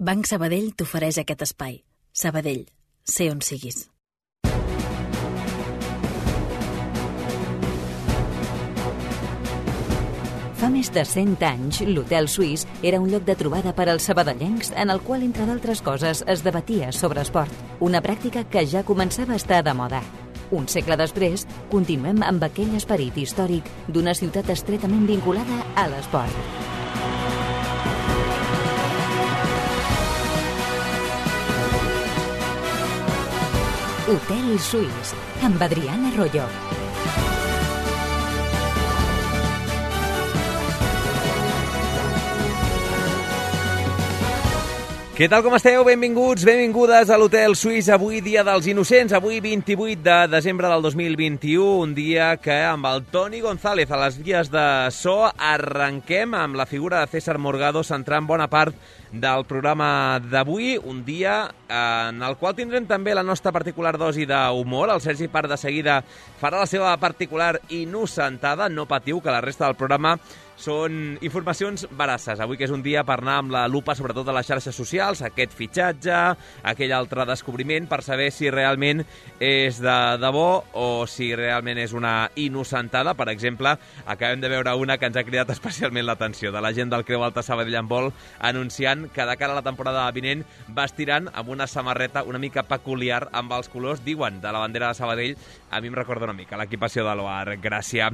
Banc Sabadell t'ofereix aquest espai. Sabadell, sé on siguis. Fa més de 100 anys, l'Hotel Suís era un lloc de trobada per als sabadellencs en el qual, entre d'altres coses, es debatia sobre esport. Una pràctica que ja començava a estar de moda. Un segle després, continuem amb aquell esperit històric d'una ciutat estretament vinculada a l'esport. Hotel Suís, amb Adriana Arroyo. Què tal, com esteu? Benvinguts, benvingudes a l'Hotel Suís. Avui, dia dels innocents, avui 28 de desembre del 2021, un dia que amb el Toni González a les vies de so arrenquem amb la figura de César Morgado centrant bona part del programa d'avui, un dia en el qual tindrem també la nostra particular dosi d'humor. El Sergi Part de seguida farà la seva particular innocentada. No patiu, que la resta del programa són informacions veraces. Avui que és un dia per anar amb la lupa sobretot a les xarxes socials, aquest fitxatge, aquell altre descobriment, per saber si realment és de debò o si realment és una innocentada. Per exemple, acabem de veure una que ens ha cridat especialment l'atenció, de la gent del Creu Alta Sabadell Handbol, anunciant que de cara a la temporada vinent vestiran amb una samarreta una mica peculiar amb els colors, diuen, de la bandera de Sabadell. A mi em recorda una mica l'equipació de l'OAR. Gràcia.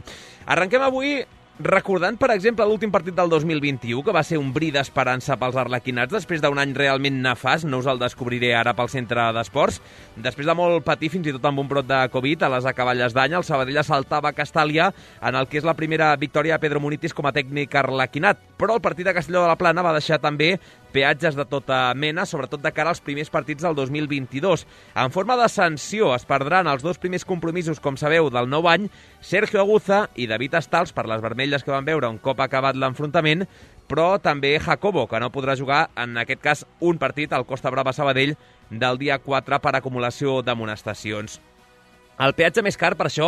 Arrenquem avui recordant, per exemple, l'últim partit del 2021, que va ser un bri d'esperança pels arlequinats després d'un any realment nefast. No us el descobriré ara pel centre d'esports. Després de molt patir, fins i tot amb un brot de Covid, a les acaballes d'any, el Sabadell assaltava Castàlia en el que és la primera victòria de Pedro Munitis com a tècnic arlequinat. Però el partit de Castelló de la Plana va deixar també peatges de tota mena, sobretot de cara als primers partits del 2022. En forma de sanció es perdran els dos primers compromisos, com sabeu, del nou any, Sergio Aguza i David Estals, per les vermelles que van veure un cop acabat l'enfrontament, però també Jacobo, que no podrà jugar, en aquest cas, un partit al Costa Brava Sabadell del dia 4 per acumulació d'amonestacions. El peatge més car, per això,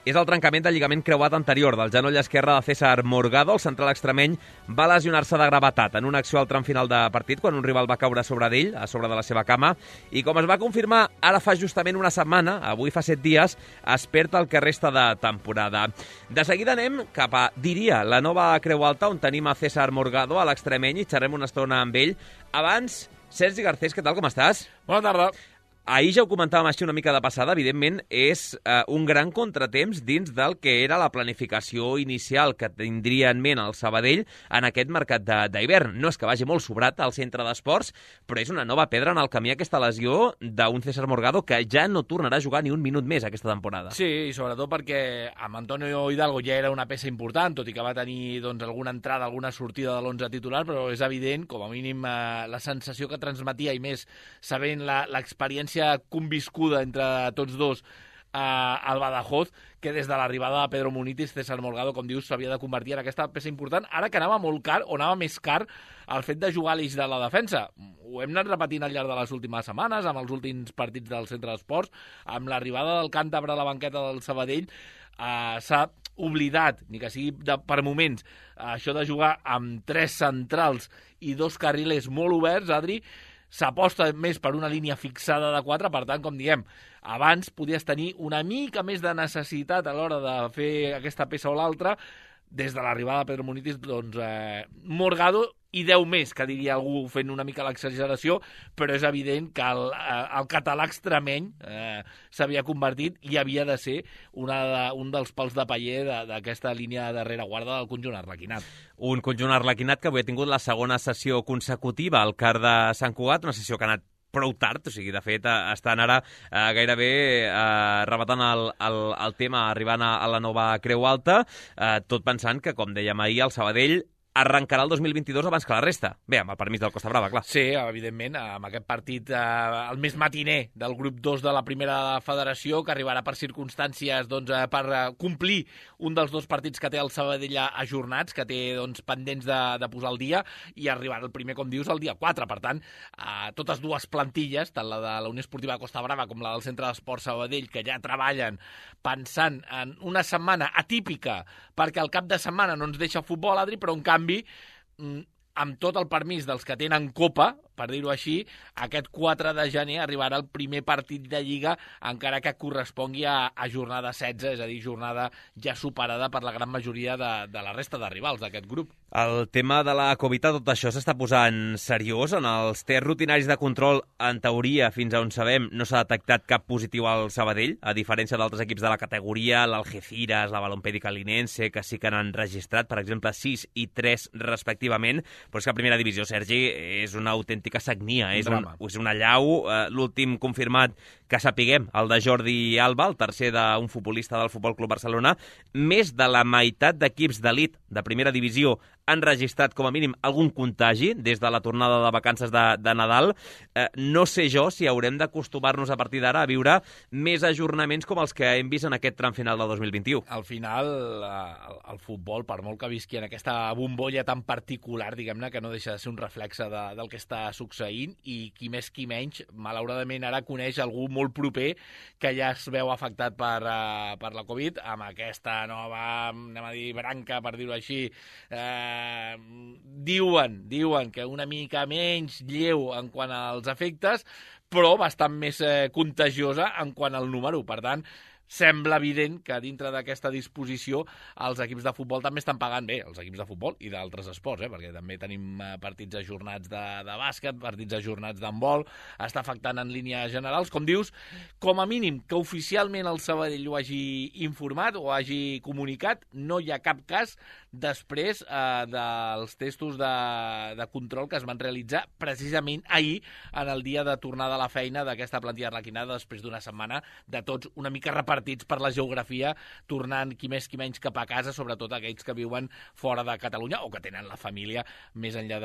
és el trencament del lligament creuat anterior del genoll esquerre de César Morgado. El central extremeny va lesionar-se de gravetat en una acció al tram final de partit, quan un rival va caure sobre d'ell, a sobre de la seva cama, i com es va confirmar ara fa justament una setmana, avui fa 7 dies, es perd el que resta de temporada. De seguida anem cap a, diria, la nova Creu Alta, on tenim a César Morgado, a l'extremeny, i xerrem una estona amb ell. Abans, Sergi Garcés, què tal, com estàs? Bona tarda. Ahir ja ho comentàvem així una mica de passada, evidentment és un gran contratemps dins del que era la planificació inicial que tindria en ment el Sabadell en aquest mercat d'hivern. No és que vagi molt sobrat al centre d'esports, però és una nova pedra en el camí aquesta lesió d'un César Morgado que ja no tornarà a jugar ni un minut més aquesta temporada. Sí, i sobretot perquè amb Antonio Hidalgo ja era una peça important, tot i que va tenir alguna entrada, alguna sortida de l'11 titular, però és evident, com a mínim, la sensació que transmetia, i més sabent l'experiència conviscuda entre tots dos al Badajoz, que des de l'arribada de Pedro Munitis, César Morgado, com dius, s'havia de convertir en aquesta peça important, ara que anava molt car, o anava més car, el fet de jugar a l'eix de la defensa. Ho hem anat repetint al llarg de les últimes setmanes, amb els últims partits del centre d'esports, amb l'arribada del càntabre a la banqueta del Sabadell, s'ha oblidat, ni que sigui per moments, això de jugar amb 3 centrals i 2 carrilers molt oberts, Adri. S'aposta més per una línia fixada de 4, per tant, com diem, abans podies tenir una mica més de necessitat a l'hora de fer aquesta peça o l'altra. Des de l'arribada de Pedro Munitis, Morgado i 10 més, que diria algú fent una mica l'exageració, però és evident que el català extremeny s'havia convertit i havia de ser un dels pals de paller d'aquesta línia de rereguarda del conjunt arlequinat. Un conjunt arlequinat que avui ha tingut la segona sessió consecutiva al CAR de Sant Cugat, una sessió que ha anat prou tard, o sigui, de fet, estan ara gairebé rebatant el tema, arribant a la nova Creu Alta, tot pensant que, com dèiem ahir, el Sabadell arrencarà el 2022 abans que la resta. Bé, amb el permís del Costa Brava, clar. Sí, evidentment, amb aquest partit el més matiner del grup 2 de la primera federació, que arribarà per circumstàncies per complir un dels 2 partits que té el Sabadell ajornats, que té pendents de posar al dia, i arribarà el primer, com dius, el dia 4. Per tant, totes dues plantilles, tant la de la Unió Esportiva de Costa Brava com la del Centre d'Esports Sabadell, que ja treballen pensant en una setmana atípica, perquè el cap de setmana no ens deixa futbol, Adri, però en canvi, amb tot el permís dels que tenen Copa, per dir-ho així, aquest 4 de gener arribarà el primer partit de Lliga, encara que correspongui a jornada 16, és a dir, jornada ja superada per la gran majoria de la resta de rivals d'aquest grup. El tema de la Covid, tot això s'està posant seriós. En els tests rutinaris de control, en teoria, fins on sabem, no s'ha detectat cap positiu al Sabadell, a diferència d'altres equips de la categoria, l'Algeciras, la Balompédica Linense, que sí que n'han registrat, per exemple, 6 i 3 respectivament. Però és que la primera divisió, Sergi, és una autèntica sagnia, és una llau. L'últim confirmat que sapiguem, el de Jordi Alba, el tercer d'un futbolista del Futbol Club Barcelona, més de la meitat d'equips d'elit de primera divisió han registrat com a mínim algun contagi des de la tornada de vacances de Nadal. No sé jo si haurem d'acostumar-nos a partir d'ara a viure més ajornaments com els que hem vist en aquest tram final del 2021. Al final, el futbol, per molt que visqui en aquesta bombolla tan particular, diguem-ne, que no deixa de ser un reflexe del que està succeint, i qui més qui menys, malauradament ara coneix algú molt proper que ja es veu afectat per la Covid, amb aquesta nova, anem a dir, branca, per dir-ho així, diuen que una mica menys lleu en quant als efectes, però bastant més contagiosa en quant al número. Per tant, sembla evident que dintre d'aquesta disposició els equips de futbol també estan pagant bé, els equips de futbol i d'altres esports, perquè també tenim partits ajornats de bàsquet, partits ajornats d'handbol, està afectant en línies generals. Com dius, com a mínim que oficialment el Sabadell ho hagi informat o hagi comunicat, no hi ha cap cas després dels testos de control que es van realitzar precisament ahir, en el dia de tornada a la feina d'aquesta plantilla arlequinada, després d'una setmana de tots una mica repartits per la geografia, tornant qui més qui menys cap a casa, sobretot aquells que viuen fora de Catalunya o que tenen la família més enllà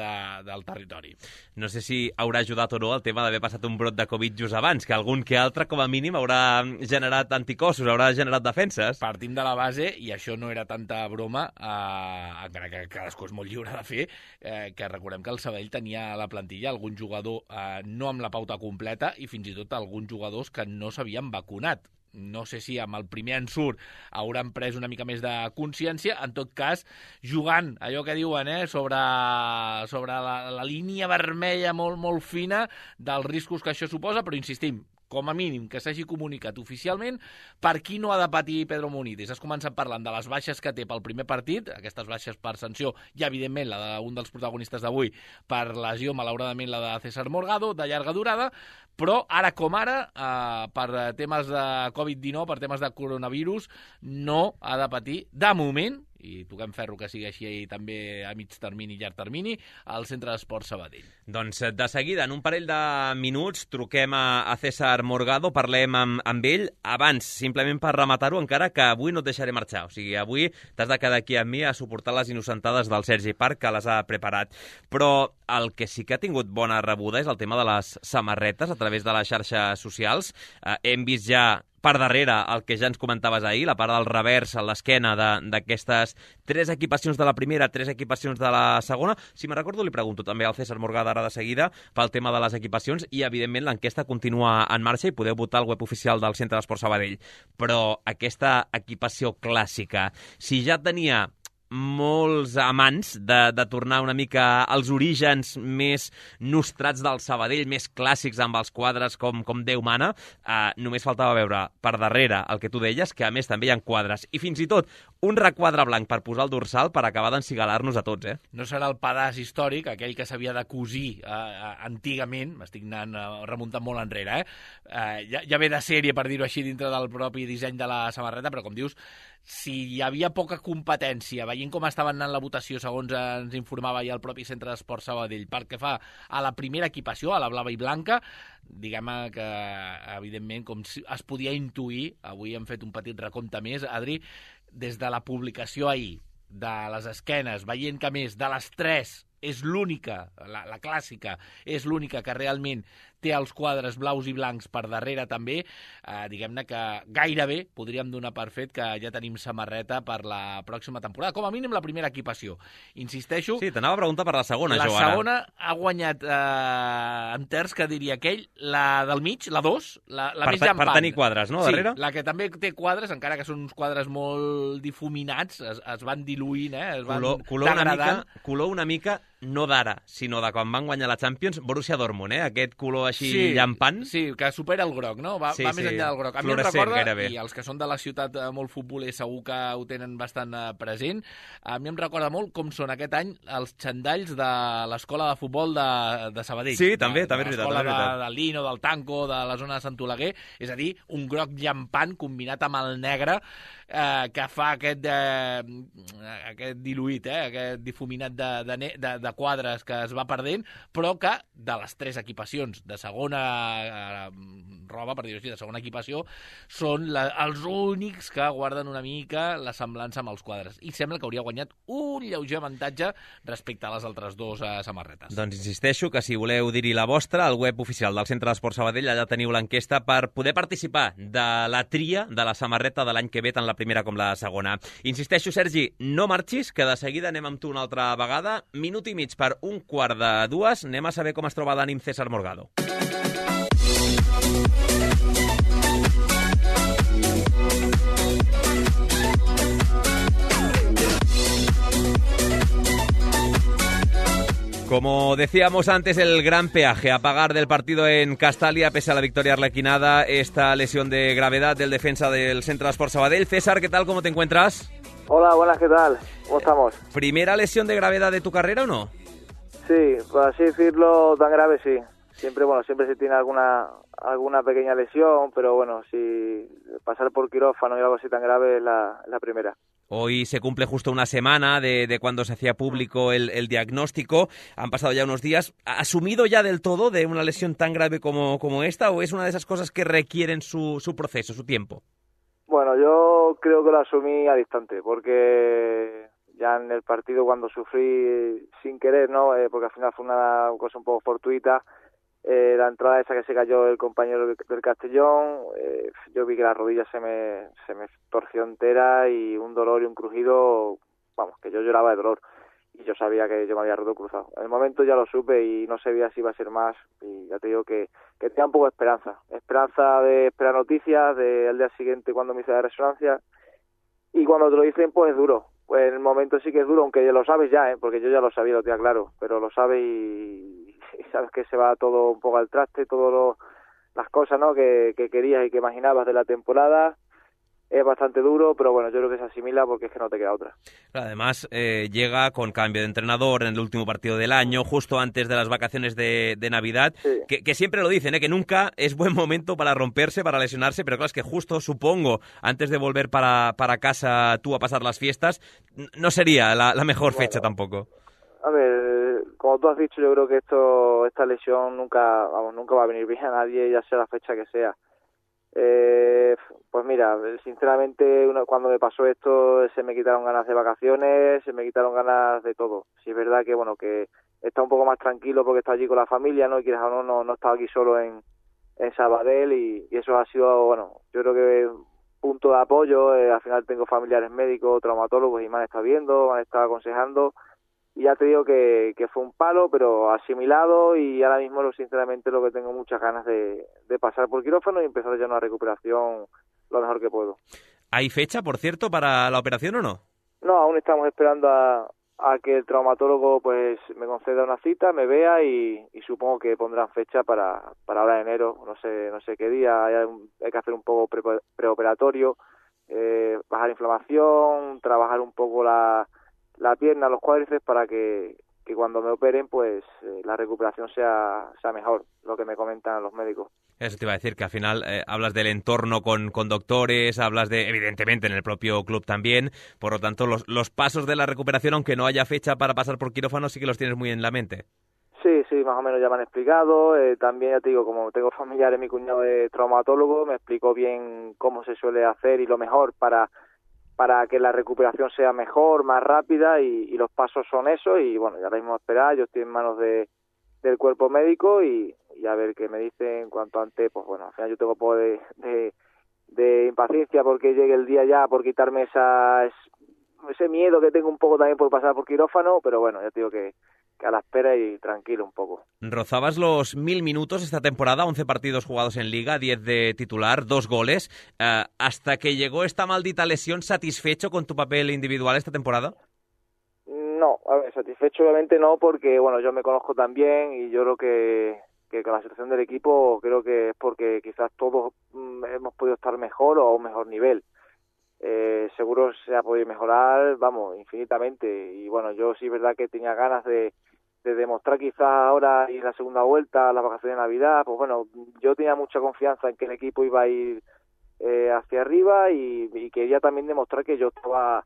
del territori. No sé si haurà ajudat o no el tema d'haver passat un brot de Covid just abans, que algun que altre, com a mínim, haurà generat anticossos, haurà generat defenses. Partim de la base, i això no era tanta broma, encara que cadascú és molt lliure de fer, que recordem que el Sabadell tenia a la plantilla algun jugador no amb la pauta completa i fins i tot alguns jugadors que no s'havien vacunat. No sé si amb el primer ensurt hauran pres una mica més de consciència. En tot cas, jugant, allò que diuen, sobre la línia vermella molt, molt fina dels riscos que això suposa, però insistim, com a mínim que s'hagi comunicat oficialment. Per qui no ha de patir Pedro Munitis? Has començat parlant de les baixes que té pel primer partit, aquestes baixes per sanció, i evidentment la d'un dels protagonistes d'avui per lesió, malauradament la de César Morgado, de llarga durada, però ara com ara, per temes de Covid-19, per temes de coronavirus, no ha de patir, de moment, i toquem ferro que sigui així també a mig termini i llarg termini, al Centre d'Esports Sabadell. Doncs de seguida, en un parell de minuts, truquem a César Morgado, parlem amb ell. Abans, simplement per rematar-ho, encara que avui no et deixaré marxar. O sigui, avui t'has de quedar aquí amb mi a suportar les innocentades del Sergi Parc, que les ha preparat. Però el que sí que ha tingut bona rebuda és el tema de les samarretes a través de les xarxes socials. Hem vist ja per darrere el que ja ens comentaves ahir, la part del revers a l'esquena d'aquestes 3 equipacions de la primera, 3 equipacions de la segona. Si me'n recordo, li pregunto també al César Morgado ara de seguida pel tema de les equipacions, i evidentment l'enquesta continua en marxa i podeu votar al web oficial del Centre d'Esports Sabadell. Però aquesta equipació clàssica, si ja tenia molts amants de tornar una mica als orígens més nostrats del Sabadell, més clàssics amb els quadres com Déu mana, només faltava veure per darrere el que tu deies, que a més també hi ha quadres, i fins i tot un requadre blanc per posar el dorsal per acabar d'encigalar-nos a tots. No serà el pedaç històric, aquell que s'havia de cosir antigament, m'estic remuntant molt enrere, ja ve de sèrie, per dir-ho així, dintre del propi disseny de la samarreta, però com dius, si hi havia poca competència, veient com estava anant la votació, segons ens informava ja el propi Centre d'Esports Sabadell, pel que fa a la primera equipació, a la blava i blanca, diguem que, evidentment, com es podia intuir, avui hem fet un petit recompte més, Adri, des de la publicació ahir, de les esquenes, veient que més de les 3 és l'única, la clàssica, és l'única que realment té els quadres blaus i blancs per darrere també, diguem-ne que gairebé podríem donar per fet que ja tenim samarreta per la pròxima temporada, com a mínim la primera equipació. Insisteixo... Sí, t'anava a preguntar per la segona, La Joana. segona ha guanyat en terç, que diria aquell, la del mig, la 2, la més llampant. Per tenir quadres, no, darrere? Sí, la que també té quadres, encara que són uns quadres molt difuminats, es van diluint, es van degradant. Color una mica no d'ara, sinó de quan van guanyar la Champions, Borussia Dortmund, aquest color així llampant. Sí, que supera el groc, no? Va més enllà del groc. A mi em recorda, gairebé. I els que són de la ciutat molt futbolers segur que ho tenen bastant present, a mi em recorda molt com són aquest any els xandalls de l'escola de futbol de Sabadell. Sí, també és veritat. L'escola del Lino, del Tanco, de la zona de Sant Oleguer, és a dir, un groc llampant combinat amb el negre que fa aquest diluït, aquest difuminat de quadres que es va perdent, però que de les 3 equipacions de segona roba, per dir-ho així, de segona equipació, són els únics que guarden una mica la semblança amb els quadres. I sembla que hauria guanyat un lleuger avantatge respecte a les altres 2 samarretes. Doncs insisteixo que si voleu dir-hi la vostra, al web oficial del Centre d'Esports Sabadell, allà teniu l'enquesta per poder participar de la tria de la samarreta de l'any que ve, tant la primera com la segona. Insisteixo, Sergi, no marxis, que de seguida anem amb tu una altra vegada. Minut i mig per 1:45. Anem a saber com es troba d'ànim César Morgado. Como decíamos antes, el gran peaje a pagar del partido en Castalia, pese a la victoria arlequinada, esta lesión de gravedad del defensa del Centre d'Esports Sabadell. César, ¿qué tal? ¿Cómo te encuentras? Hola, buenas, ¿qué tal? ¿Cómo estamos? ¿Primera lesión de gravedad de tu carrera o no? Sí, por así decirlo, tan grave sí. Siempre se tiene alguna pequeña lesión, pero bueno, si pasar por quirófano y algo así tan grave es la primera. Hoy se cumple justo una semana de cuando se hacía público el diagnóstico. Han pasado ya unos días. ¿Asumido ya del todo de una lesión tan grave como esta, o es una de esas cosas que requieren su proceso, su tiempo? Bueno, yo creo que lo asumí al instante, porque ya en el partido cuando sufrí sin querer, ¿no? Porque al final fue una cosa un poco fortuita, la entrada esa que se cayó el compañero del Castellón, yo vi que la rodilla se me torció entera y un dolor y un crujido, vamos, que yo lloraba de dolor y yo sabía que yo me había roto el cruzado. En el momento ya lo supe y no sabía si iba a ser más, y ya te digo que tenía un poco de esperanza de esperar noticias del día siguiente cuando me hice la resonancia, y cuando te lo dicen pues es duro. Pues en el momento sí que es duro, aunque ya lo sabes ya, porque yo ya lo sabía, lo tenía claro, pero lo sabes y sabes que se va todo un poco al traste, todas las cosas, ¿no?, que querías y que imaginabas de la temporada. Es bastante duro, pero bueno, yo creo que se asimila porque es que no te queda otra. Además, llega con cambio de entrenador en el último partido del año, justo antes de las vacaciones de Navidad, sí. que siempre lo dicen, que nunca es buen momento para romperse, para lesionarse, pero claro, es que justo, supongo, antes de volver para casa tú a pasar las fiestas, no sería la mejor fecha tampoco. A ver, como tú has dicho, yo creo que esta lesión nunca va a venir bien a nadie, ya sea la fecha que sea. Pues mira, sinceramente cuando me pasó esto se me quitaron ganas de vacaciones, se me quitaron ganas de todo. Sí es verdad que bueno, que está un poco más tranquilo porque está allí con la familia, ¿no? Y quieras o no estaba aquí solo en Sabadell, y eso ha sido, bueno, yo creo que punto de apoyo. Al final tengo familiares médicos, traumatólogos, y me han estado viendo, me han estado aconsejando. Y ya te digo que fue un palo, pero asimilado, y ahora mismo sinceramente lo que tengo muchas ganas de pasar por quirófano y empezar ya una recuperación lo mejor que puedo. ¿Hay fecha, por cierto, para la operación o no? No, aún estamos esperando a que el traumatólogo pues me conceda una cita, me vea, y supongo que pondrán fecha para ahora en enero, no sé qué día. Hay que hacer un poco preoperatorio, bajar inflamación, trabajar un poco la pierna, los cuádriceps, para que cuando me operen pues la recuperación sea mejor, lo que me comentan los médicos. Eso te iba a decir, que al final hablas del entorno con doctores, hablas de, evidentemente, en el propio club también, por lo tanto los pasos de la recuperación, aunque no haya fecha para pasar por quirófano, sí que los tienes muy en la mente. Sí, más o menos ya me han explicado. También, ya te digo, como tengo familiares, mi cuñado es traumatólogo, me explicó bien cómo se suele hacer y lo mejor para que la recuperación sea mejor, más rápida, y los pasos son esos. Y bueno, ya ahora mismo esperar, yo estoy en manos del cuerpo médico y a ver qué me dicen cuanto antes. Pues bueno, al final yo tengo un poco de impaciencia porque llegue el día ya, por quitarme ese miedo que tengo un poco también por pasar por quirófano, pero bueno, ya te digo que a la espera y tranquilo un poco. Rozabas los 1000 minutos esta temporada, 11 partidos jugados en Liga, 10 de titular, 2 goles. ¿Hasta que llegó esta maldita lesión, satisfecho con tu papel individual esta temporada? No, a ver, satisfecho obviamente no, porque bueno, yo me conozco también y yo creo que con la situación del equipo creo que es porque quizás todos hemos podido estar mejor o a un mejor nivel. Seguro se ha podido mejorar, vamos, infinitamente. Y bueno, yo sí es verdad que tenía ganas de demostrar quizás ahora y en la segunda vuelta, las vacaciones de Navidad, pues bueno, yo tenía mucha confianza en que el equipo iba a ir hacia arriba y quería también demostrar que yo estaba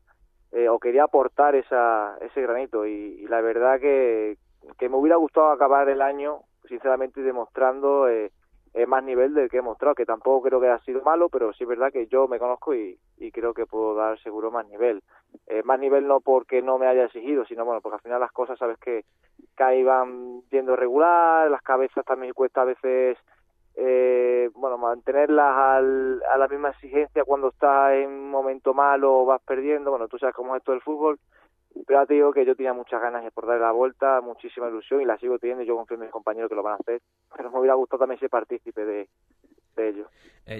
o quería aportar ese granito y la verdad que me hubiera gustado acabar el año sinceramente demostrando más nivel del que he mostrado, que tampoco creo que haya sido malo, pero sí es verdad que yo me conozco y creo que puedo dar seguro más nivel. Más nivel no porque no me haya exigido, sino bueno, porque al final las cosas sabes que ahí van yendo regular, las cabezas también cuesta a veces bueno, mantenerlas a la misma exigencia cuando estás en un momento malo o vas perdiendo, bueno, tú sabes cómo es esto del fútbol, pero ya te digo que yo tenía muchas ganas de por darle la vuelta, muchísima ilusión y la sigo teniendo, yo confío en mis compañeros que lo van a hacer, pero me hubiera gustado también ser partícipe de ello.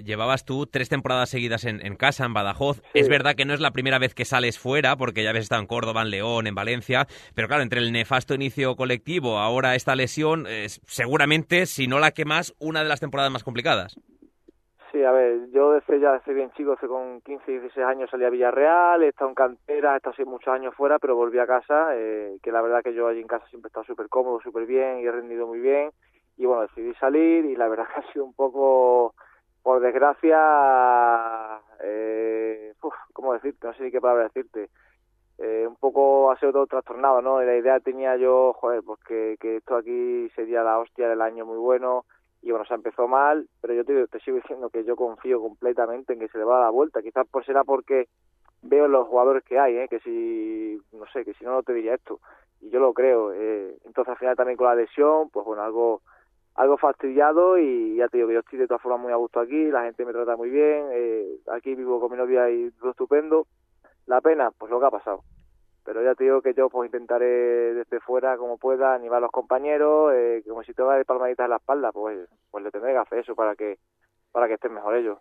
Llevabas tú 3 temporadas seguidas en casa, en Badajoz. Sí. Es verdad que no es la primera vez que sales fuera, porque ya habías estado en Córdoba, en León, en Valencia, pero claro, entre el nefasto inicio colectivo, ahora esta lesión, seguramente, si no la que más, una de las temporadas más complicadas. Sí, a ver, yo desde bien chico, desde con 15, 16 años salí a Villarreal, he estado en cantera, he estado así muchos años fuera, pero volví a casa, que la verdad que yo allí en casa siempre he estado súper cómodo, súper bien y he rendido muy bien. Y bueno, decidí salir y la verdad que ha sido un poco, por desgracia, ¿cómo decirte? No sé ni qué palabra decirte. Un poco ha sido todo trastornado, ¿no? Y la idea tenía yo, pues que esto aquí sería la hostia del año muy bueno. Y bueno, se empezó mal, pero yo te sigo diciendo que yo confío completamente en que se le va a dar la vuelta. Quizás será porque veo los jugadores que hay, que si, no sé, que si no, no te diría esto. Y yo lo creo. Entonces al final también con la lesión, pues bueno, algo fastidiado y ya te digo que yo estoy de todas formas muy a gusto aquí, la gente me trata muy bien, aquí vivo con mi novia y todo estupendo. La pena, pues lo que ha pasado. Pero ya te digo que yo pues intentaré desde fuera como pueda animar a los compañeros, como si te va de palmaditas en la espalda, pues le tendré que hacer eso para que estén mejor ellos.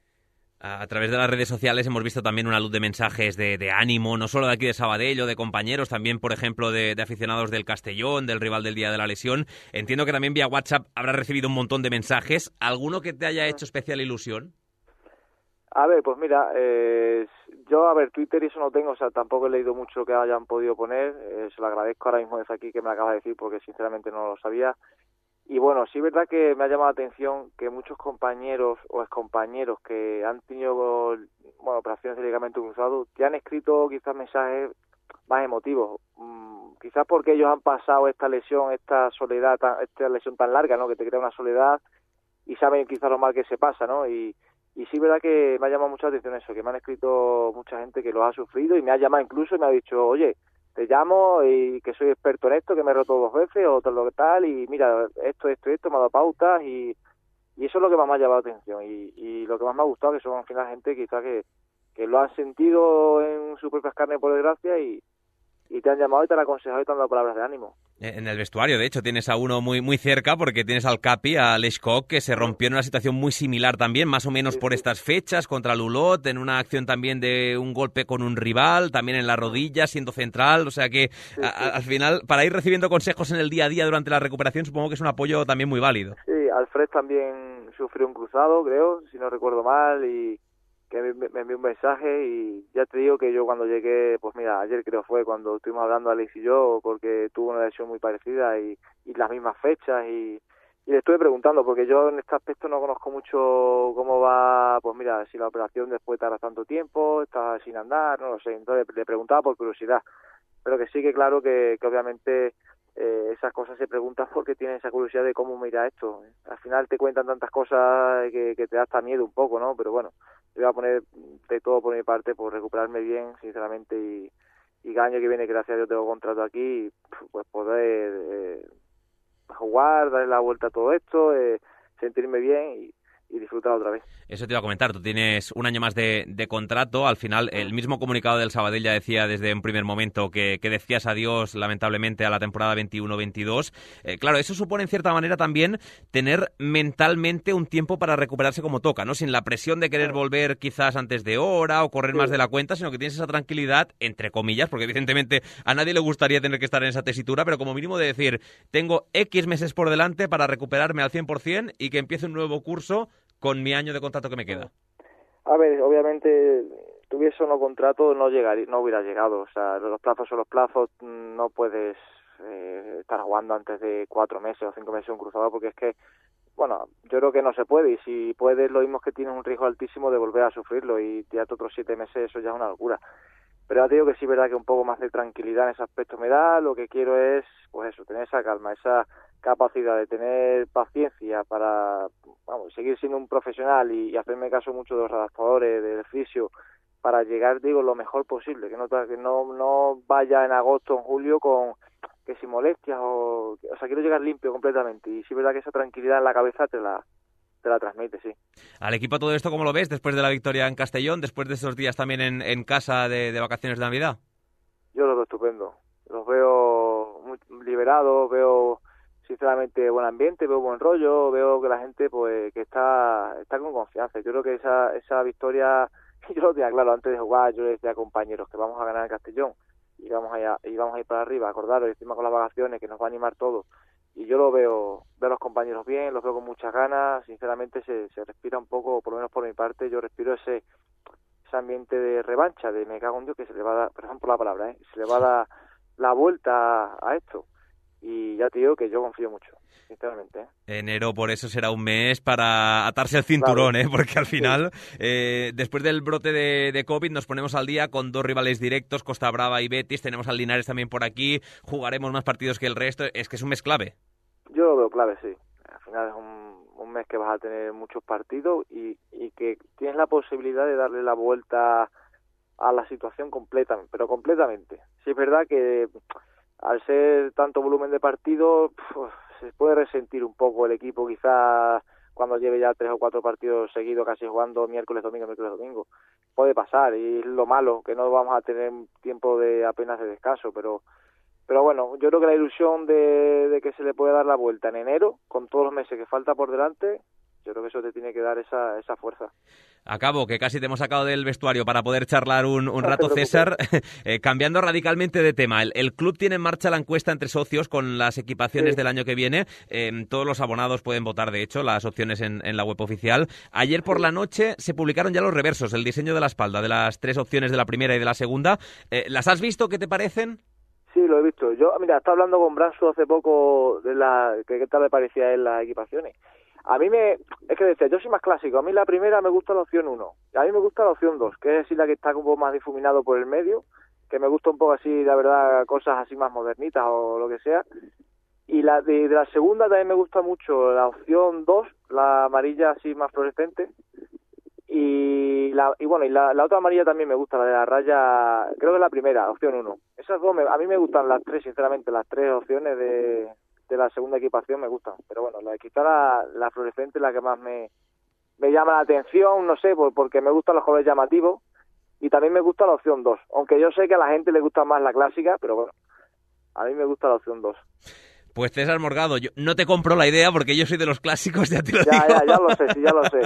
A través de las redes sociales hemos visto también una luz de mensajes de ánimo, no solo de aquí de Sabadell o de compañeros, también, por ejemplo, de aficionados del Castellón, del rival del día de la lesión. Entiendo que también vía WhatsApp habrás recibido un montón de mensajes. ¿Alguno que te haya hecho especial ilusión? A ver, pues mira, yo, Twitter y eso no tengo, o sea, tampoco he leído mucho que hayan podido poner, se lo agradezco ahora mismo desde aquí que me lo acabas de decir porque sinceramente no lo sabía. Y bueno, sí es verdad que me ha llamado la atención que muchos compañeros o excompañeros que han tenido, bueno, operaciones de ligamento cruzado, te han escrito quizás mensajes más emotivos. Quizás porque ellos han pasado esta lesión, esta soledad, esta lesión tan larga, ¿no? Que te crea una soledad y saben quizás lo mal que se pasa, ¿no? Y sí es verdad que me ha llamado mucha atención eso, que me han escrito mucha gente que lo ha sufrido y me ha llamado incluso y me ha dicho, oye, te llamo y que soy experto en esto, que me he roto 2 veces o todo lo que tal y mira, esto, me ha dado pautas y eso es lo que más me ha llamado la atención y lo que más me ha gustado que son al final gente quizás que lo han sentido en sus propias carnes por desgracia y te han llamado y te han aconsejado y te han dado palabras de ánimo. En el vestuario, de hecho, tienes a uno muy, muy cerca porque tienes al Capi, a Leshkok, que se rompió en una situación muy similar también, más o menos por estas fechas, contra Lulot, en una acción también de un golpe con un rival, también en la rodilla, siendo central, o sea que al final, para ir recibiendo consejos en el día a día durante la recuperación, supongo que es un apoyo también muy válido. Sí, Alfred también sufrió un cruzado, creo, si no recuerdo mal, y que me envió un mensaje y ya te digo que yo cuando llegué, pues mira, ayer creo fue cuando estuvimos hablando Alex y yo, porque tuvo una lesión muy parecida y las mismas fechas y le estuve preguntando, porque yo en este aspecto no conozco mucho cómo va, pues mira, si la operación después tarda tanto tiempo, está sin andar, no lo sé, entonces le preguntaba por curiosidad, pero que sí que claro que obviamente esas cosas se preguntan porque tienen esa curiosidad de cómo mira esto. Al final te cuentan tantas cosas que te da hasta miedo un poco, ¿no? Pero bueno, yo voy a poner de todo por mi parte por recuperarme bien, sinceramente, y el año que viene, gracias a Dios, tengo contrato aquí, pues poder jugar, darle la vuelta a todo esto, sentirme bien disfrutar otra vez. Eso te iba a comentar, tú tienes un año más de contrato, al final el mismo comunicado del Sabadell ya decía desde un primer momento que decías adiós lamentablemente a la temporada 21-22. Claro, eso supone en cierta manera también tener mentalmente un tiempo para recuperarse como toca, ¿no? Sin la presión de querer volver quizás antes de hora o correr más de la cuenta, sino que tienes esa tranquilidad, entre comillas, porque evidentemente a nadie le gustaría tener que estar en esa tesitura, pero como mínimo de decir, tengo X meses por delante para recuperarme al 100% y que empiece un nuevo curso con mi año de contrato que me queda. A ver, obviamente, tuviese o no contrato, no hubiera llegado. O sea, los plazos son los plazos, no puedes estar jugando antes de 4 meses o 5 meses un cruzado, porque es que, bueno, yo creo que no se puede, y si puedes, lo mismo es que tienes un riesgo altísimo de volver a sufrirlo, y tirarte otros 7 meses, eso ya es una locura. Pero ya te digo que sí es verdad que un poco más de tranquilidad en ese aspecto me da. Lo que quiero es, pues eso, tener esa calma, esa capacidad de tener paciencia para seguir siendo un profesional y hacerme caso mucho de los adaptadores, del fisio, para llegar, digo, lo mejor posible, que no vaya en agosto, en julio con que si molestias o sea, quiero llegar limpio completamente, y sí es verdad que esa tranquilidad en la cabeza te la transmite, sí. Al equipo todo esto, ¿cómo lo ves después de la victoria en Castellón, después de estos días también en casa de vacaciones de Navidad? Yo los veo estupendo, los veo muy liberados, veo sinceramente buen ambiente, veo buen rollo, veo que la gente pues que está con confianza. Yo creo que esa victoria, yo lo tenía claro antes de jugar, yo les decía a compañeros que vamos a ganar en Castellón y vamos a ir para arriba, acordaros, encima con las vacaciones, que nos va a animar todo. Y yo lo veo a los compañeros bien, los veo con muchas ganas, sinceramente se respira un poco, por lo menos por mi parte, yo respiro ese ambiente de revancha, de me cago en Dios, que se le va a dar, perdón por la palabra, se le va a dar la vuelta a esto. Y ya te digo que yo confío mucho, sinceramente. Enero por eso será un mes para atarse el cinturón, claro. Porque al final, después del brote de COVID, nos ponemos al día con 2 rivales directos, Costa Brava y Betis, tenemos al Linares también por aquí, jugaremos más partidos que el resto, es que es un mes clave. Yo lo veo clave, sí. Al final es un mes que vas a tener muchos partidos y que tienes la posibilidad de darle la vuelta a la situación completamente, pero completamente. Sí es verdad que al ser tanto volumen de partidos, se puede resentir un poco el equipo quizás cuando lleve ya 3 o 4 partidos seguidos casi jugando miércoles, domingo. Puede pasar, y es lo malo, que no vamos a tener tiempo de apenas de descanso, pero bueno, yo creo que la ilusión de que se le puede dar la vuelta en enero, con todos los meses que falta por delante, yo creo que eso te tiene que dar esa fuerza. Acabo, que casi te hemos sacado del vestuario para poder charlar un rato, César. Cambiando radicalmente de tema, el club tiene en marcha la encuesta entre socios con las equipaciones del año que viene. Todos los abonados pueden votar, de hecho, las opciones en la web oficial. Ayer por la noche se publicaron ya los reversos, el diseño de la espalda, de las 3 opciones de la primera y de la segunda. ¿Las has visto? ¿Qué te parecen? Sí, lo he visto. Yo, mira, estaba hablando con Branso hace poco de qué tal le parecía a él las equipaciones. A mí es que decía, yo soy más clásico, a mí la primera me gusta la opción 1, a mí me gusta la opción 2, que es decir, la que está un poco más difuminado por el medio, que me gusta un poco así, la verdad, cosas así más modernitas o lo que sea. Y de la segunda también me gusta mucho la opción 2, la amarilla así más fluorescente. Y la otra amarilla también me gusta, la de la raya, creo que es la primera, opción 1. Esas dos, a mí me gustan las 3, sinceramente, las 3 opciones de la segunda equipación me gustan. Pero bueno, la de quizá la fluorescente es la que más me llama la atención, no sé, porque me gustan los colores llamativos, y también me gusta la opción 2. Aunque yo sé que a la gente le gusta más la clásica, pero bueno, a mí me gusta la opción 2. Pues César Morgado, yo no te compro la idea porque yo soy de los clásicos, ya te lo digo. Ya lo sé, sí, ya lo sé.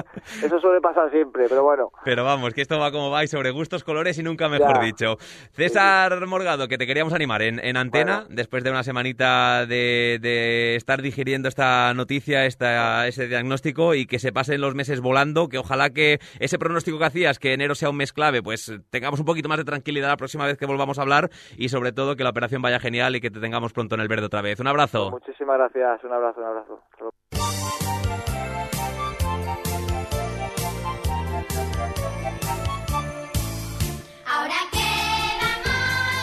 Eso suele pasar siempre, pero bueno. Pero vamos, que esto va como va y sobre gustos, colores y nunca mejor dicho. César Morgado, que te queríamos animar en antena, después de una semanita de estar digiriendo esta noticia, ese diagnóstico, y que se pasen los meses volando, que ojalá que ese pronóstico que hacías, que enero sea un mes clave, pues tengamos un poquito más de tranquilidad la próxima vez que volvamos a hablar, y sobre todo que la operación vaya genial y que te tengamos pronto en el verde otra vez. Un abrazo. Muchísimas gracias, un abrazo. Ahora que vamos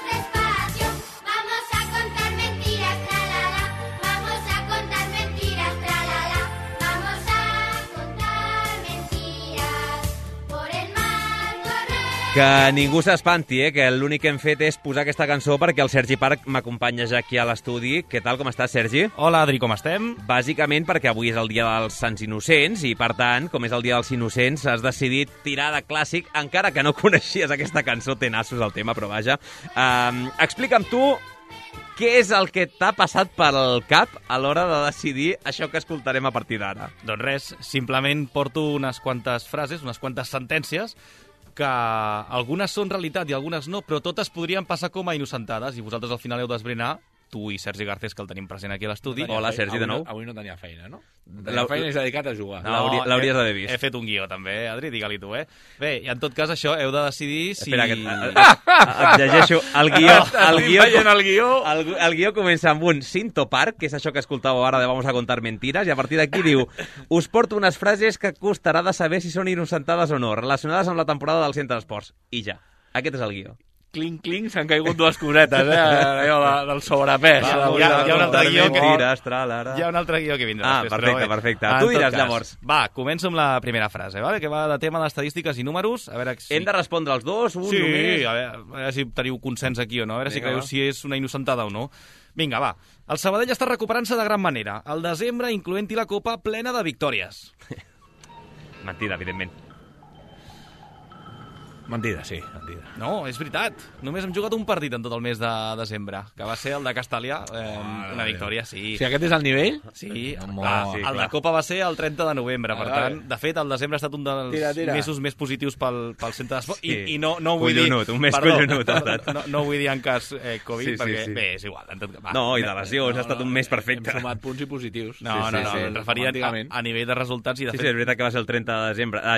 despacio, vamos a contar mentiras, tralala, vamos a contar mentiras, tralala, vamos a contar mentiras, por el mar corremos. Que ningú s'espanti, que l'únic que hem fet és posar aquesta cançó perquè el Sergi Parc m'acompanya ja aquí a l'estudi. Què tal, com estàs, Sergi? Hola, Adri, com estem? Bàsicament perquè avui és el dia dels Sants Innocents i, per tant, com és el dia dels Innocents, has decidit tirar de clàssic, encara que no coneixies aquesta cançó, té nassos el tema, però vaja. Explica'm tu què és el que t'ha passat pel cap a l'hora de decidir això que escoltarem a partir d'ara. Doncs res, simplement porto unes quantes frases, unes quantes sentències, que algunes són realitat i algunes no, però totes podrien passar com a innocentades, i vosaltres al final heu d'esbrinar, tu i Sergi Garcés, que el tenim present aquí a l'estudi. Hola, Sergi, de nou. Avui no tenia feina, no? La feina és dedicat a jugar. No, l'hauries d'haver vist. He fet un guió, també, Adri, digue-li tu, Bé, i en tot cas, això, heu de decidir si... Espera, et llegeixo. El guió comença amb un Cinto Park, que és això que escoltàveu ara de Vamos a contar mentiras, i a partir d'aquí diu: us porto unes frases que costarà de saber si són innocentades o no, relacionades amb la temporada del Centre d'Esports. I ja. Aquest és el guió. Clinc, clinc, s'han caigut dues cosetes, allò del sobrepès. Hi ha un altre guió que... Hi ha un altre guió que vindrà després. Perfecte. Tu diràs, llavors. Va, començo amb la primera frase, vale? Que va de tema d'estadístiques i números. A veure si... Hem de respondre els dos, un sí, només? Sí, a veure si teniu consens aquí o no, a veure si creieu si és una innocentada o no. Vinga, va. El Sabadell està recuperant-se de gran manera. El desembre, incloent-hi la Copa, plena de victòries. Mentida, evidentment. Mentida, sí, mentida. No, és veritat. Només hem jugat un partit en tot el mes de desembre, que va ser el de Castàlia, una victòria, sí. Si aquest és el nivell? Sí, sí, el de Copa va ser el 30 de novembre, per tant, de fet, el desembre ha estat un dels mesos més positius pel centre d'esport, i no ho vull dir... Un mes collonut, no ho vull dir en cas Covid, perquè, bé, és igual. No, i de lesions, ha estat un mes perfecte. Hem sumat punts i positius. No, em referia a nivell de resultats i de fet... Sí, és veritat que va ser el 30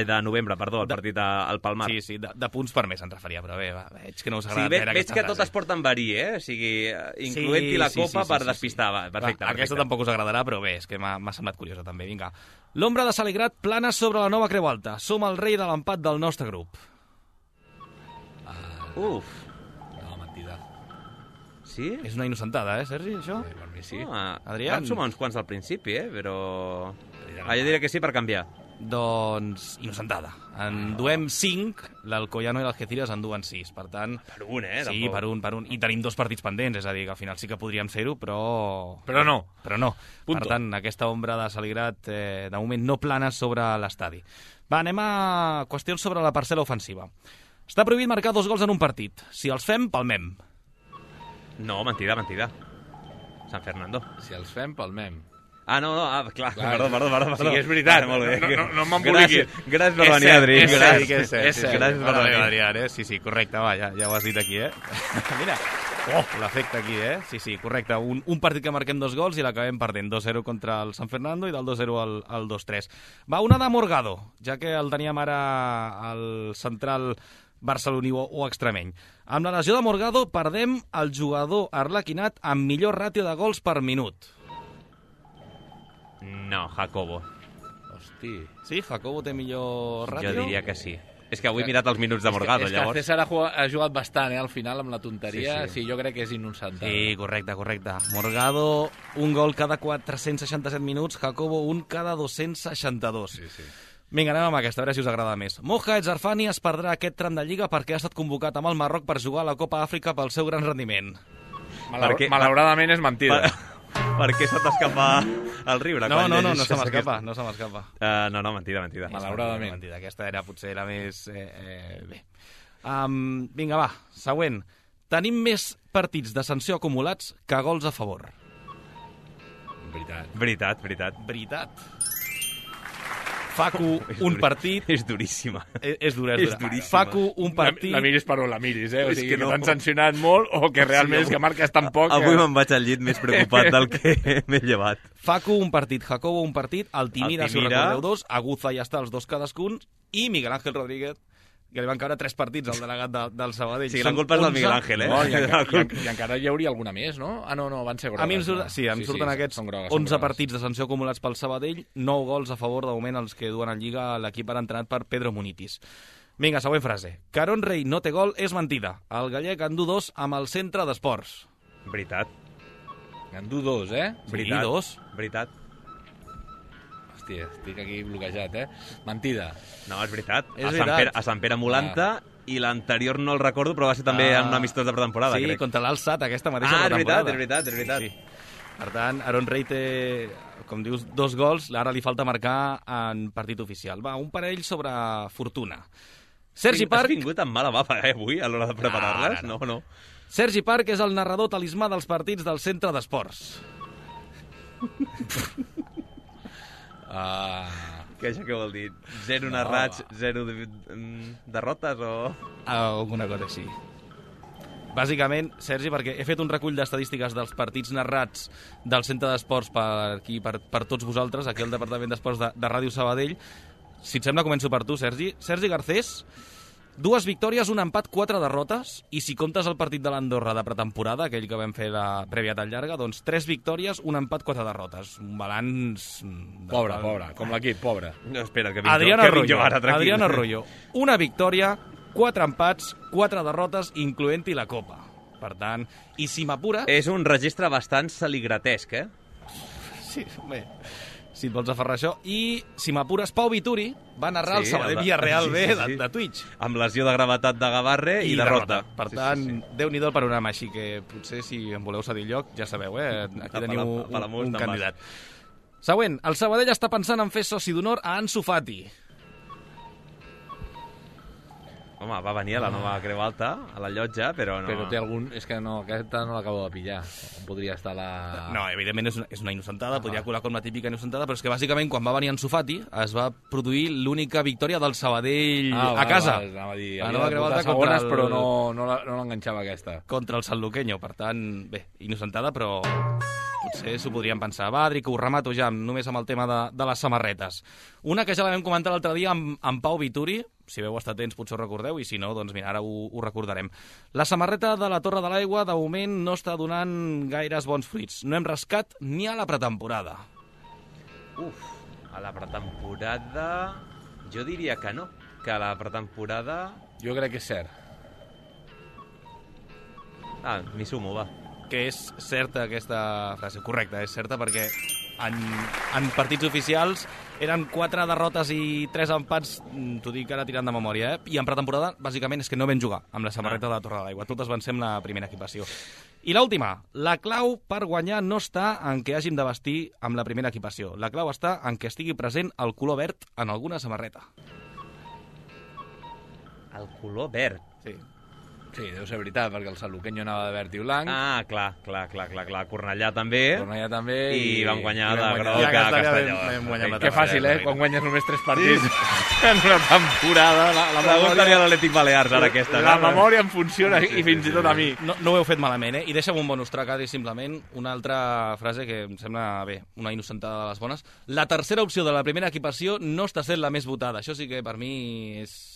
de novembre, el partit al Palmar. Sí, de punts per mes, ens referia, però bé, veig que no us agrada veure aquesta frase. Veig que tot es porta en verí, O sigui, incloent-hi la Copa per despistar. Perfecte. Aquesta tampoc us agradarà, però bé, és que m'ha semblat curiosa també. Vinga. L'ombra de Saligrat plana sobre la nova Creu Alta. Som el rei de l'empat del nostre grup. Uf. No, mentida. Sí? És una innocentada, Sergi, això? Sí, per mi sí. Adrià? Vam sumar uns quants al principi, però... Jo diré que sí per canviar. Doncs innocentada. En duem 5, l'Alcoyano i l'Algeciras en duen 6. Per tant... Per un, Sí, tampoc. per un. I tenim 2 partits pendents, és a dir, que al final sí que podríem fer-ho, però... Però no. Per tant, aquesta ombra de Saligrat, de moment, no plana sobre l'estadi. Va, anem a qüestions sobre la parcel·la ofensiva. Està prohibit marcar 2 gols en un partit. Si els fem, palmem. No, mentida. San Fernando. Si els fem, palmem. No, clar. Perdó. Sí, és veritat. Molt bé. No m'emboliqui. Gràcies per venir, Adri. És cert. Gràcies per venir, Adrià. Sí, correcte, va, ja ho has dit aquí, Mira, l'efecte aquí, Sí, correcte. Un partit que marquem 2 gols i l'acabem perdent 2-0 contra el San Fernando i del 2-0 al 2-3. Va, una de Morgado, ja que el teníem ara al central barceloní o extremeny. Amb la lesió de Morgado perdem el jugador arlequinat amb millor ràtio de gols per minut. No, Jacobo. Hosti. Sí, Jacobo té millor ràtio? Jo diria que sí. És que avui he mirat els minuts de Morgado, llavors. És que César ha jugat bastant, al final, amb la tonteria. Sí, jo crec que és innocentada. Sí, correcte. Morgado, un gol cada 467 minuts, Jacobo, un cada 262. Sí. Vinga, anem amb aquesta, a veure si us agrada més. Moja Etzarfani es perdrà aquest tram de Lliga perquè ha estat convocat amb el Marroc per jugar a la Copa Àfrica pel seu gran rendiment. Malauradament és mentida. Per què se t'escapa el riure? No se m'escapa. No, mentida. Malauradament. Mentida. Aquesta era potser la més... bé. Vinga, va, següent. Tenim més partits de sanció acumulats que gols a favor. Veritat. Facu, un partit... És duríssima. És dura. Facu, un partit... La miris per on la miris, O sigui, que t'han sancionat molt o que realment és que marques tan poc... Avui me'n vaig al llit més preocupat del que m'he llevat. Facu, un partit. Jacobo, un partit. Altimira, si ho recordeu, 2. Aguza, ja està, els 2 cadascun. I Miguel Ángel Rodríguez, que li van caure 3 partits al delegat del Sabadell. Sí, la culpa és del Miguel Ángel, I encara hi hauria alguna més, no? No, van ser grogues. A mi em surten aquests 11 partits de sanció acumulats pel Sabadell, 9 gols a favor, de moment, els que duen en Lliga l'equip ara entrenat per Pedro Munitis. Vinga, següent frase. Caron Rey no té gol és mentida. El gallec en du 2 amb el centre d'esports. Veritat. En du 2, Veritat. Sí, 2. Veritat. Hòstia, estic aquí bloquejat, Mentida. No, és veritat. És veritat. A Sant Pere Molanta i l'anterior no el recordo, però va ser també en un amistós de pretemporada, sí, crec. contra l'Alsat, aquesta mateixa pretemporada. És veritat. Sí. Per tant, Aaron Rey té, com dius, 2 gols, ara li falta marcar en partit oficial. Va, un parell sobre Fortuna. Sergi Parc... Has vingut amb mala bava, avui, a l'hora de preparar-les? No. Sergi Parc és el narrador talismà dels partits del centre d'esports. Que això què vol dir? 0 narrats, 0 derrotes o...? Alguna cosa així. Bàsicament, Sergi, perquè he fet un recull d'estadístiques dels partits narrats del centre d'esports per tots vosaltres, aquí al Departament d'Esports de Ràdio Sabadell. Si et sembla, començo per tu, Sergi. Sergi Garcés, 2 victòries, un empat, 4 derrotes, i si comptes el partit de l'Andorra de pretemporada, aquell que vam fer la prèvia tan llarga, doncs 3 victòries, un empat, 4 derrotes. Un balanç... Pobre, com l'equip, pobre. No, espera, que Adrián vinc Arroyo, una victòria, 4 empats, 4 derrotes, incloent-hi la Copa. Per tant, i si m'apures... És un registre bastant saligratesc, eh? Sí, bé, si et vols aferrar això. I si m'apures, Pau Vituri va narrar el Sabadell Villarreal B de Twitch. Amb lesió de gravetat de Gavarre i derrota. Per tant, Déu-n'hi-do el panorama, així que potser si em voleu cedir lloc, ja sabeu, aquí teniu un candidat. Següent, el Sabadell està pensant en fer soci d'honor a Ansu Fati. Home, va venir a la nova Creu Alta, a la llotja, però no... Però té algun... És que no, aquesta no l'acabo de pillar. Podria estar la... No, evidentment és una innocentada, podria colar com la típica innocentada, però és que bàsicament quan va venir Ansu Fati es va produir l'única victòria del Sabadell a casa. Anava a dir, la nova Creu Alta segones, però no l'enganxava aquesta. Contra el Sanluqueño, per tant, bé, innocentada, però potser s'ho podrien pensar. Va, Adri, que ho remato ja, només amb el tema de les samarretes. Una que ja la vam comentar l'altre dia amb Pau Vituri, si veu estar atents potser ho recordeu, i si no, doncs mira, ara ho recordarem. La samarreta de la Torre de l'Aigua, de moment, no està donant gaires bons fruits. No hem rascat ni a la pretemporada. A la pretemporada... Jo diria que no, que a la pretemporada... Jo crec que és cert. M'hi sumo, va. Que és certa aquesta frase, correcta, és certa perquè en partits oficials eren 4 derrotes i 3 empats, t'ho dic ara tirant de memòria, i en pretemporada bàsicament és que no vam jugar amb la samarreta de la Torre de l'Aigua, totes van ser amb la primera equipació. I l'última, la clau per guanyar no està en què hàgim de vestir amb la primera equipació, la clau està en què estigui present el color verd en alguna samarreta. El color verd? Sí, deu ser veritat, perquè el Sanluqueño anava de verd i blanc. Clar. Cornellà també. I vam guanyar de groc a Castelló. Que fàcil, quan guanyes només 3 partits en una temporada. La memòria a l'Atlètic Balears, ara aquesta. La memòria em funciona i fins i tot a mi. No ho heu fet malament, I deixa'm un bonus track, Adri, simplement una altra frase que em sembla bé, una innocentada de les bones. La tercera opció de la primera equipació no està sent la més votada. Això sí que per mi és...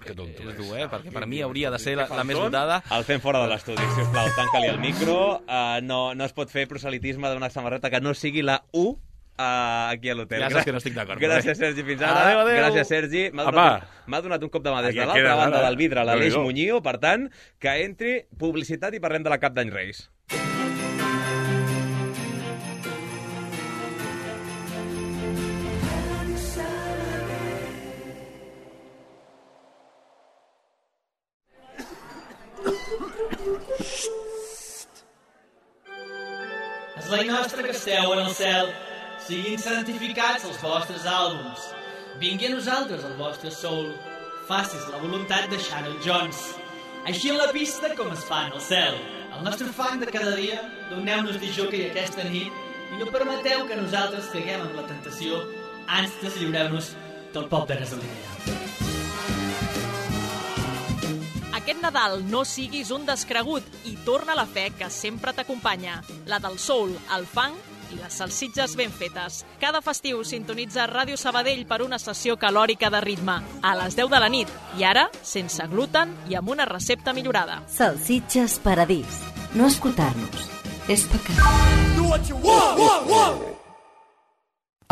Que tonto, és dur, perquè per mi hauria de ser la més votada. El fem fora de l'estudi, sisplau, tanca-li el micro. No es pot fer proselitisme d'una samarreta que no sigui la U aquí a l'hotel. Ja saps que no estic d'acord. Gràcies, Sergi, fins ara. Adéu. Gràcies, Sergi. M'ha donat un cop de mà des de l'altra banda del vidre, l'Aleix Muñío. Per tant, que entri publicitat i parlem de la Cap d'Any Reis. És la nostra que esteu en el cel, siguin santificats els vostres àlbums. Vingui a nosaltres el vostre soul, facis la voluntat de Sharon Jones. Així en la pista com es fa en el cel. El nostre fang de cada dia, doneu-nos de jockey aquesta nit i no permeteu que nosaltres caiguem en la tentació, ans deslliureu-nos del pop de gasolina. Aquest Nadal no siguis un descregut i torna la fe que sempre t'acompanya. La del soul, el funk i les salsitxes ben fetes. Cada festiu sintonitza Ràdio Sabadell per una sessió calòrica de ritme a les 10 de la nit i ara sense gluten i amb una recepta millorada. Salsitxes Paradís. No escoltar-nos és pecat.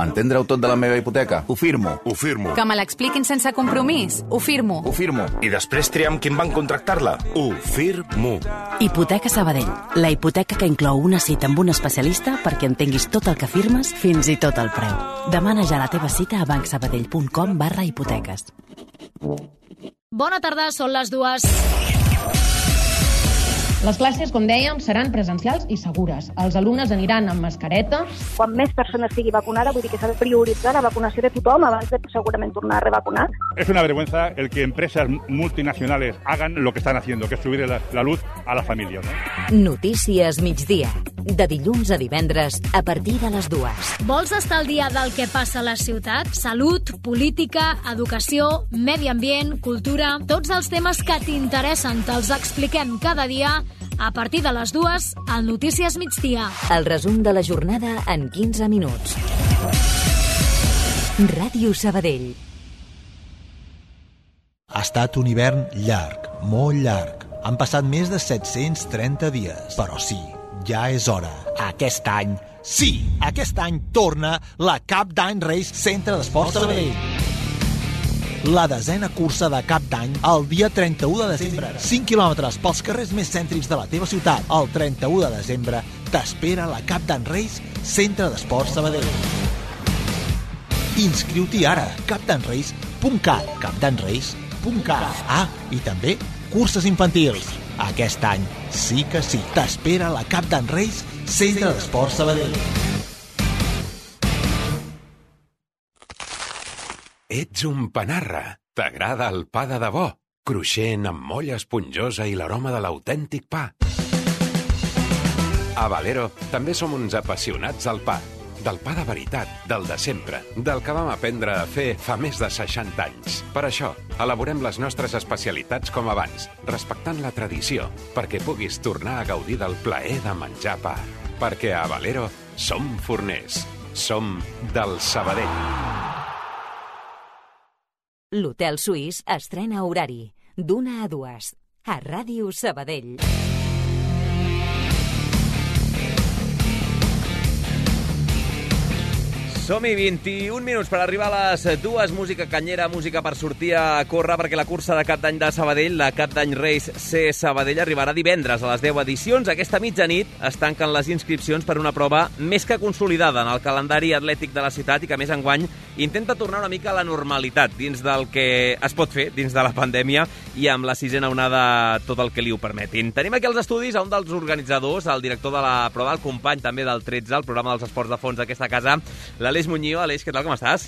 Entendre-ho tot de la meva hipoteca? Ho firmo. Que me l'expliquin sense compromís? Ho firmo. I després triar amb qui em van contractar-la? Ho firmo. Hipoteca Sabadell. La hipoteca que inclou una cita amb un especialista perquè entenguis tot el que firmes, fins i tot el preu. Demana ja la teva cita a bancsabadell.com/hipoteques. Bona tarda, són les 2. Les classes, com dèiem, seran presencials i segures. Els alumnes aniran amb mascareta. Quan més persones sigui vacunada, vull dir que s'ha de prioritzar la vacunació de tothom abans de segurament tornar a revacunar. Es una vergüenza el que empresas multinacionales hagan lo que están haciendo, que es subir la luz a las familias. Notícies migdia. De dilluns a divendres, a partir de les 2. Vols estar al dia del que passa a la ciutat? Salut, política, educació, medi ambient, cultura... Tots els temes que t'interessen te'ls expliquem cada dia a partir de les 2 al Notícies migdia. El resum de la jornada en 15 minuts. Ràdio Sabadell. Ha estat un hivern llarg, molt llarg. Han passat més de 730 dies. Però sí, ja és hora. Aquest any, sí, aquest any torna la Cap d'Any Race Centre d'Esports Sabadell. La 10a cursa de Cap d'Any el dia 31 de desembre. 5 quilòmetres pels carrers més cèntrics de la teva ciutat. El 31 de desembre t'espera la Cap d'Any Race Centre d'Esports Sabadell. Inscriu-t'hi ara. capdanrace.cat capdanrace.cat. Ah, i també curses infantils. Aquest any sí que sí. T'espera la Cap d'Any Race Centre d'Esports Sabadell. Ets un panarra. T'agrada el pa de debò, cruixent amb molla esponjosa i l'aroma de l'autèntic pa. A Valero també som uns apassionats del pa. Del pa de veritat, del de sempre, del que vam aprendre a fer fa més de 60 anys. Per això, elaborem les nostres especialitats com abans, respectant la tradició, perquè puguis tornar a gaudir del plaer de menjar pa. Perquè a Valero som forners. Som del Sabadell. L'Hotel Suís estrena horari d'1 a 2 a Ràdio Sabadell. Som-hi, 21 minuts per arribar a les 2. Música canyera, música per sortir a córrer, perquè la cursa de Cap d'Any de Sabadell, la Cap d'Any Race C Sabadell, arribarà divendres a les 10 edicions. Aquesta mitjanit es tanquen les inscripcions per una prova més que consolidada en el calendari atlètic de la ciutat i que, a més, enguany intenta tornar una mica a la normalitat dins del que es pot fer dins de la pandèmia i amb la 6a onada tot el que li ho permetin. Tenim aquí als estudis a un dels organitzadors, el director de la prova, el company també del 13, el programa dels esports de fons d'aquesta casa, l'Aleix Muñoz. Aleix, què tal, com estàs?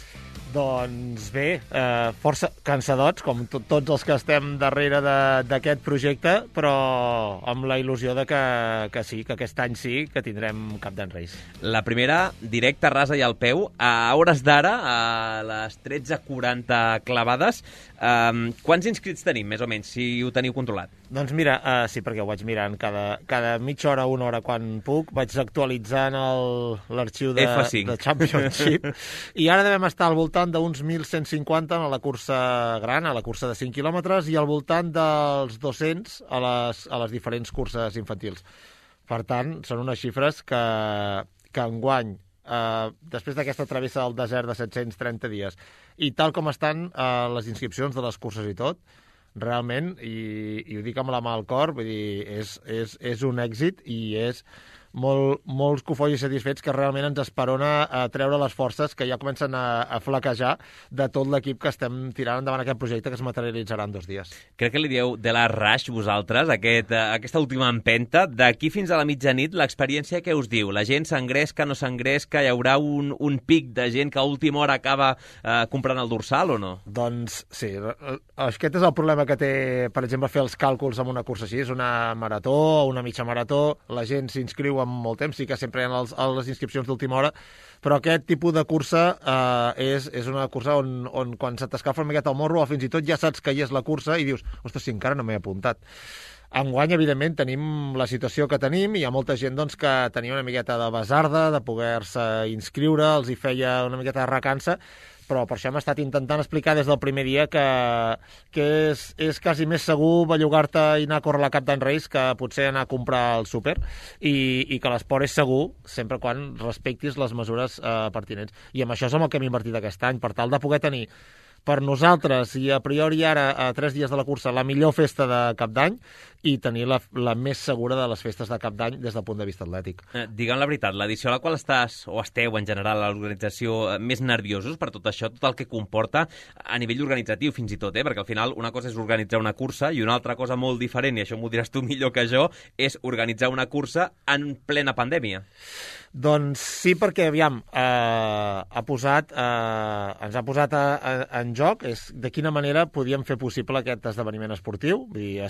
Doncs bé, força cansadots, com tots els que estem darrere d'aquest projecte, però amb la il·lusió de que sí, que aquest any sí, que tindrem Cap d'Any Race. La primera, directa, rasa i al peu, a hores d'ara, a les 13:40 clavades. Quants inscrits tenim, més o menys, si ho teniu controlat? Doncs mira, sí, perquè ho vaig mirant cada mitja hora, una hora, quan puc, vaig actualitzant l'arxiu de Championship, i ara devem estar al voltant d'uns 1.150 a la cursa gran, a la cursa de 5 quilòmetres, i al voltant dels 200 a les diferents curses infantils. Per tant, són unes xifres que enguany, després d'aquesta travessa del desert de 730 dies, i tal com estan les inscripcions de les curses i tot, realment, i ho dic amb la mà al cor, vull dir, és un èxit i és molts cofolls i satisfets que realment ens esperona a treure les forces que ja comencen a flaquejar de tot l'equip que estem tirant endavant aquest projecte que es materialitzarà en 2 dies. Crec que li dieu de la rush vosaltres, aquesta última empenta. D'aquí fins a la mitjanit, l'experiència què us diu? La gent s'engresca, no s'engresca? Hi haurà un pic de gent que a última hora acaba comprant el dorsal o no? Doncs sí, aquest és el problema que té, per exemple, fer els càlculs en una cursa així. És una marató o una mitja marató, la gent s'inscriu amb molt temps, sí que sempre hi ha les inscripcions d'última hora, però aquest tipus de cursa és una cursa on quan se t'escalfa una miqueta el morro o fins i tot ja saps que hi és la cursa i dius, ostres, si encara no m'he apuntat. Enguany, evidentment, tenim la situació que tenim i hi ha molta gent doncs, que tenia una miqueta de basarda, de poder-se inscriure, els hi feia una miqueta de recança, però per això hem estat intentant explicar des del primer dia que és quasi més segur bellugar-te i anar a córrer la Cap d'Any Race que potser anar a comprar el súper i que l'esport és segur sempre quan respectis les mesures pertinents. I amb això és amb el que hem invertit aquest any, per tal de poder tenir per nosaltres, i a priori ara, a 3 dies de la cursa, la millor festa de Cap d'Any i tenir la més segura de les festes de Cap d'Any des del punt de vista atlètic. Digue'm la veritat, l'edició a la qual estàs, o esteu en general a l'organització, més nerviosos per tot això, tot el que comporta a nivell organitzatiu fins i tot, perquè al final una cosa és organitzar una cursa i una altra cosa molt diferent, i això m'ho diràs tu millor que jo, és organitzar una cursa en plena pandèmia. Doncs sí, perquè, aviam, ens ha posat en joc de quina manera podíem fer possible aquest esdeveniment esportiu. Vull dir,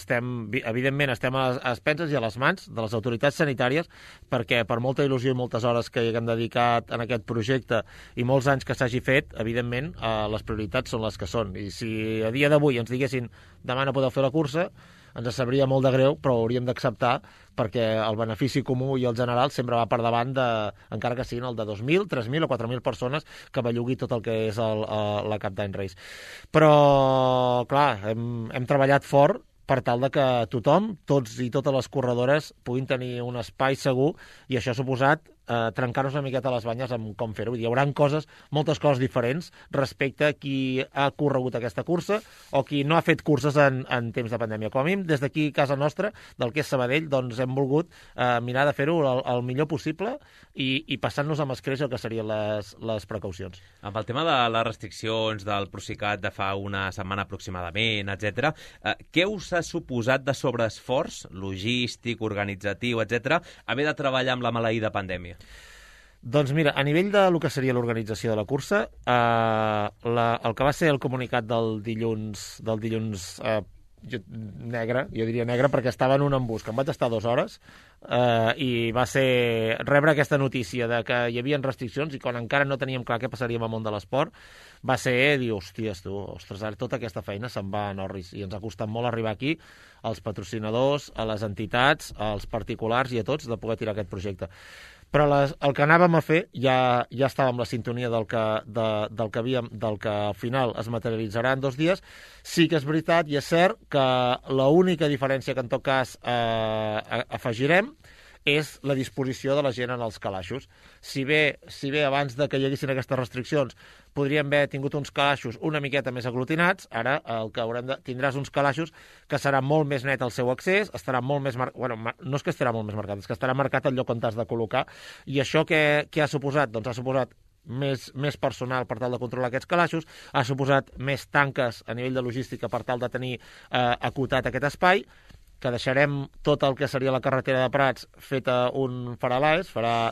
evidentment estem a les penses i a les mans de les autoritats sanitàries, perquè per molta il·lusió i moltes hores que hi haguem dedicat en aquest projecte i molts anys que s'hagi fet, evidentment, les prioritats són les que són. I si a dia d'avui ens diguessin demà no podeu fer la cursa, ens sabria molt de greu, però ho hauríem d'acceptar, perquè el benefici comú i el general sempre va per davant encara que siguin el de 2.000, 3.000 o 4.000 persones que bellugui tot el que és la Cap d'Any Race. Però, clar, hem treballat fort per tal de que tothom, tots i totes les corredores, puguin tenir un espai segur, i això ha suposat trencar-nos una miqueta les banyes amb com fer-ho. Hi haurà moltes coses diferents respecte a qui ha corregut aquesta cursa o qui no ha fet curses en temps de pandèmia. Com a mínim, des d'aquí, a casa nostra, del que és Sabadell, doncs hem volgut mirar de fer-ho el millor possible i passant-nos amb escreix el que serien les precaucions. Amb el tema de les restriccions del Procicat de fa una setmana aproximadament, etc., què us ha suposat de sobreesforç logístic, organitzatiu, etc., haver de treballar amb la maleïda pandèmia? Doncs mira, a nivell de lo que seria l'organització de la cursa, el que va ser el comunicat del dilluns negre, jo diria negre perquè estava en un embús, que em vaig estar 2 hores, i va ser rebre aquesta notícia de que hi havia restriccions i quan encara no teníem clar què passaria amb el món de l'esport, va ser dir, ostres, tota aquesta feina se'n va en orris, i ens ha costat molt arribar aquí, als patrocinadors, a les entitats, als particulars i a tots, de poder tirar aquest projecte. Però el que anàvem a fer ja estàvem la sintonia del que al final es materialitzarà en 2 dies. Sí que és veritat i és cert que l'única diferència que en tot cas afegirem és la disposició de la gent en els calaixos. Si bé abans de que hi haguessin aquestes restriccions podríem haver tingut uns calaixos una miqueta més aglutinats, ara el que tindràs uns calaixos que serà molt més net el seu accés, estarà molt més marcat, no és que estarà molt més marcat, és que estarà marcat el lloc on t'has de col·locar, i això què ha suposat? Doncs ha suposat més personal per tal de controlar aquests calaixos, ha suposat més tanques a nivell de logística per tal de tenir acotat aquest espai, que deixarem tot el que seria la carretera de Prats feta un faralaes, la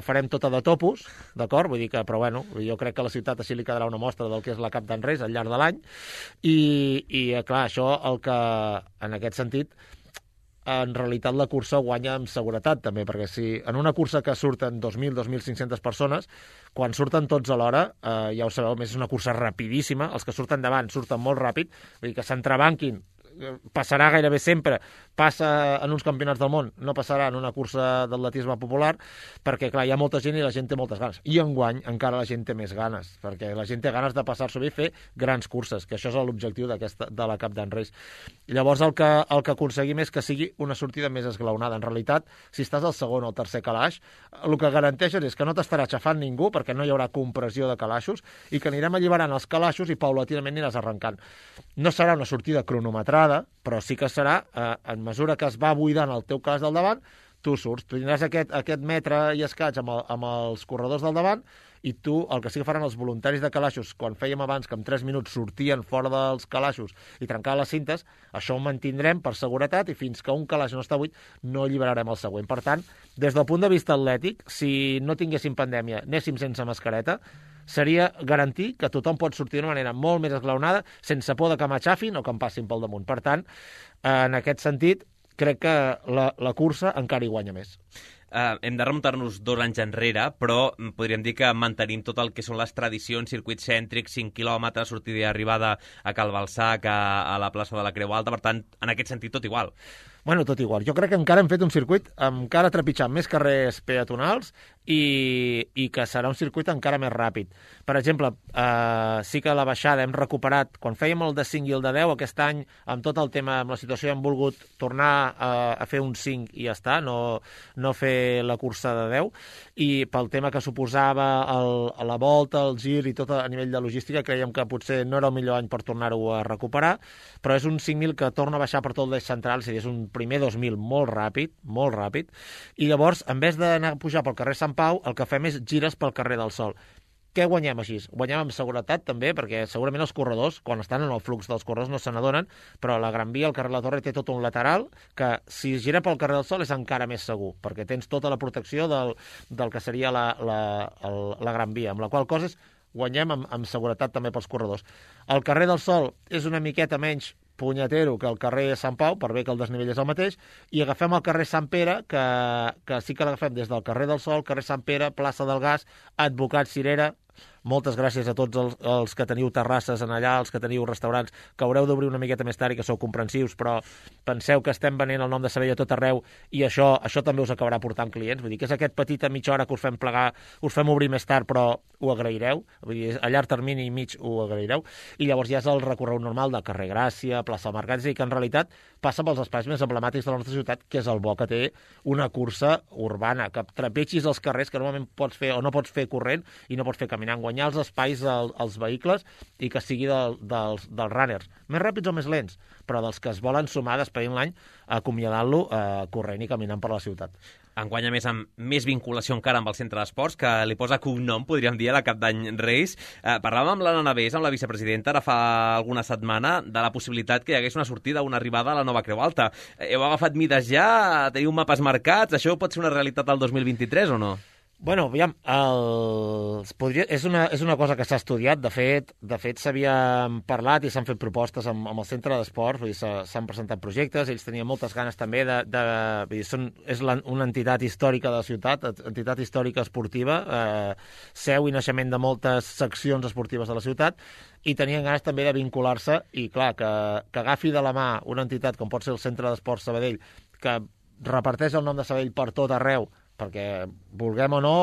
farem tota de topos, d'acord? Vull dir que, però bueno, jo crec que a la ciutat així li quedarà una mostra del que és la Cap d'Any Race al llarg de l'any, i clar, això el que, en aquest sentit, en realitat la cursa guanya amb seguretat també, perquè si en una cursa que surten 2.000, 2.500 persones, quan surten tots alhora, ja ho sabeu, més és una cursa rapidíssima, els que surten davant surten molt ràpid, vull dir que s'entrebanquin, passarà gairebé sempre, passa en uns campionats del món, no passarà en una cursa d'atletisme popular, perquè clar, hi ha molta gent i la gent té moltes ganes, i enguany encara la gent té més ganes, perquè la gent té ganes de passar-s'ho bé i fer grans curses, que això és l'objectiu de la Cap d'Any Race. Llavors el que aconseguim és que sigui una sortida més esglaonada. En realitat, si estàs al segon o al tercer calaix, el que garanteixes és que no t'estarà aixafant ningú, perquè no hi haurà compressió de calaixos, i que anirem alliberant els calaixos i paulatinament aniràs arrencant. No serà una sortida cronometrada, però sí que serà, en mesura que es va buidant el teu calaix del davant, tu surts, tu tindràs aquest metre i escaig amb els corredors del davant, i tu, el que sí que faran els voluntaris de calaixos, quan fèiem abans que en 3 minuts sortien fora dels calaixos i trencaven les cintes, això ho mantindrem per seguretat, i fins que un calaix no està buit no alliberarem el següent. Per tant, des del punt de vista atlètic, si no tinguéssim pandèmia, anéssim sense mascareta, seria garantir que tothom pot sortir d'una manera molt més esglaonada, sense por de que m'aixafin o que em passin pel damunt. Per tant, en aquest sentit, crec que la cursa encara hi guanya més. Hem de remuntar-nos 2 anys enrere, però podríem dir que mantenim tot el que són les tradicions, circuits cèntrics, 5 quilòmetres, sortida i arribada a Cal Balsac, a la plaça de la Creu Alta, per tant, en aquest sentit, tot igual. Bueno, tot igual. Jo crec que encara hem fet un circuit encara trepitjant més carrers peatonals i que serà un circuit encara més ràpid. Per exemple, sí que la baixada hem recuperat, quan fèiem el de 5 i el de 10, aquest any, amb tot el tema, amb la situació, hem volgut tornar a fer un 5 i ja està, no fer la cursa de 10, i pel tema que suposava la volta, el gir i tot a nivell de logística, creiem que potser no era el millor any per tornar-ho a recuperar, però és un 5.000 que torna a baixar per tot l'eix central, és a dir, és un primer 2.000 molt ràpid, i llavors, en vez d'anar a pujar pel carrer Sant Pau, el que fem és gires pel carrer del Sol. Què guanyem així? Guanyem amb seguretat també, perquè segurament els corredors, quan estan en el flux dels corredors, no se n'adonen, però la Gran Via, el carrer La Torre, té tot un lateral que, si gira pel carrer del Sol, és encara més segur, perquè tens tota la protecció del que seria la Gran Via, amb la qual cosa guanyem amb seguretat també pels corredors. El carrer del Sol és una miqueta menys punyetero que el carrer Sant Pau, per bé que el desnivell és el mateix, i agafem el carrer Sant Pere, que sí que l'agafem des del carrer del Sol, carrer Sant Pere, plaça del Gas, Advocat Cirera. Moltes gràcies a tots els que teniu terrasses en allà, els que teniu restaurants, que haureu d'obrir una miqueta més tard i que sou comprensius, però penseu que estem venent el nom de Sabadell a tot arreu i això també us acabarà portant clients. Vull dir que és aquest petit a mitja hora que us fem plegar, us fem obrir més tard, però ho agraireu. Vull dir, a llarg termini i mig ho agraireu. I llavors ja és el recorregut normal del carrer Gràcia, plaça del Mercat, és a dir, que en realitat passa pels espais més emblemàtics de la nostra ciutat, que és el bo que té una cursa urbana, que trepitgis els carrers que normalment pots fer o no pots fer corrent i no pots fer caminant, guanyar els espais als vehicles i que sigui dels runners, més ràpids o més lents, però dels que es volen sumar despedint l'any, acomiadant-lo corrent i caminant per la ciutat. Enguany, a més, amb més vinculació encara amb el centre d'esports, que li posa cognom, podríem dir, a la Cap d'Any Reis. Parlàvem amb l'Anna Navés, amb la vicepresidenta, ara fa alguna setmana, de la possibilitat que hi hagués una sortida, una arribada a la nova Creu Alta. Heu agafat mides ja? Teniu mapes marcats? Això pot ser una realitat al 2023 o no? Bueno, aviam, és una cosa que s'ha estudiat. De fet s'havia parlat i s'han fet propostes amb el centre d'esports, vull dir, s'han presentat projectes, ells tenien moltes ganes també és una entitat històrica de la ciutat, entitat històrica esportiva, seu i naixement de moltes seccions esportives de la ciutat, i tenien ganes també de vincular-se, i clar, que agafi de la mà una entitat com pot ser el Centre d'Esports Sabadell, que reparteix el nom de Sabadell per tot arreu, perquè vulguem o no,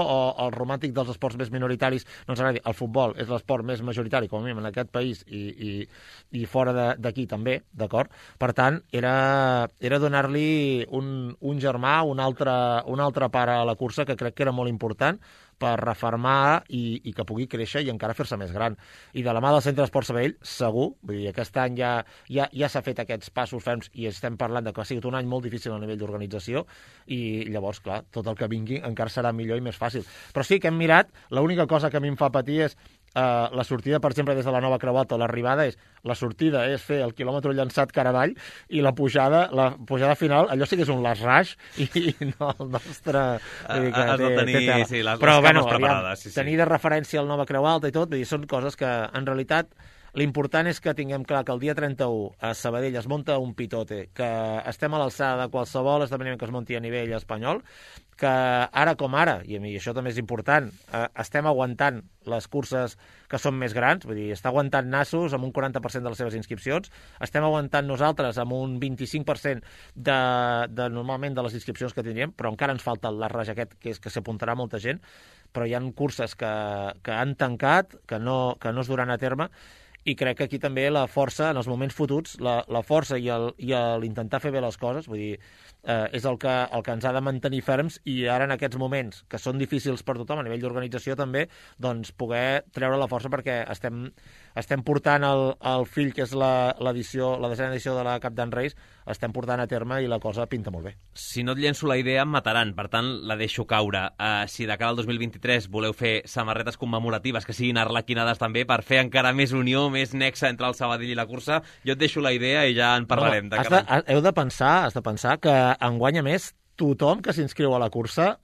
el romàntic dels esports més minoritaris no ens agradi. El futbol és l'esport més majoritari, com a mínim, en aquest país i fora d'aquí també, d'acord? Per tant, era donar-li un germà, un altre pare a la cursa, que crec que era molt important per refermar i que pugui créixer i encara fer-se més gran. I de la mà del Centre d'Esports Sabadell, segur, vull dir, aquest any ja s'ha fet aquests passos ferms i estem parlant de que ha sigut un any molt difícil a nivell d'organització i llavors, clar, tot el que vingui encara serà millor i més fàcil. Però sí que hem mirat, l'única cosa que a mi em fa patir és la sortida, per exemple, des de la nova Creu Alta, l'arribada la sortida és fer el quilòmetre llançat cara avall i la pujada final, allò sí que és un last rush i no el nostre... Has de tenir les cames preparades. Tenir de referència el nova Creu Alta i tot, vull dir, són coses que en realitat l'important és que tinguem clar que el dia 31 a Sabadell es munta un pitote, que estem a l'alçada de qualsevol esdeveniment que es munti a nivell espanyol, que ara com ara, i això també és important, estem aguantant les curses que són més grans, vull dir, està aguantant Nassos amb un 40% de les seves inscripcions, estem aguantant nosaltres amb un 25% de normalment de les inscripcions que tindríem, però encara ens falta el raig aquest, que és que s'apuntarà molta gent, però hi ha curses que han tancat, que no es duran a terme, i crec que aquí també la força, en els moments fotuts, la força i l'intentar fer bé les coses, vull dir, és el que ens ha de mantenir ferms i ara en aquests moments, que són difícils per tothom a nivell d'organització també, doncs poder treure la força perquè estem portant el fill, que és la desena edició de la Cap d'Any Reis, estem portant a terme i la cosa pinta molt bé. Si no et llenço la idea, em mataran, per tant la deixo caure. Si de cara al 2023 voleu fer samarretes commemoratives que siguin arlequinades també per fer encara més unió, més nexe entre el Sabadell i la cursa, jo et deixo la idea i ja en parlarem. Has de pensar que enguany, a més, tothom que s'inscriu a la cursa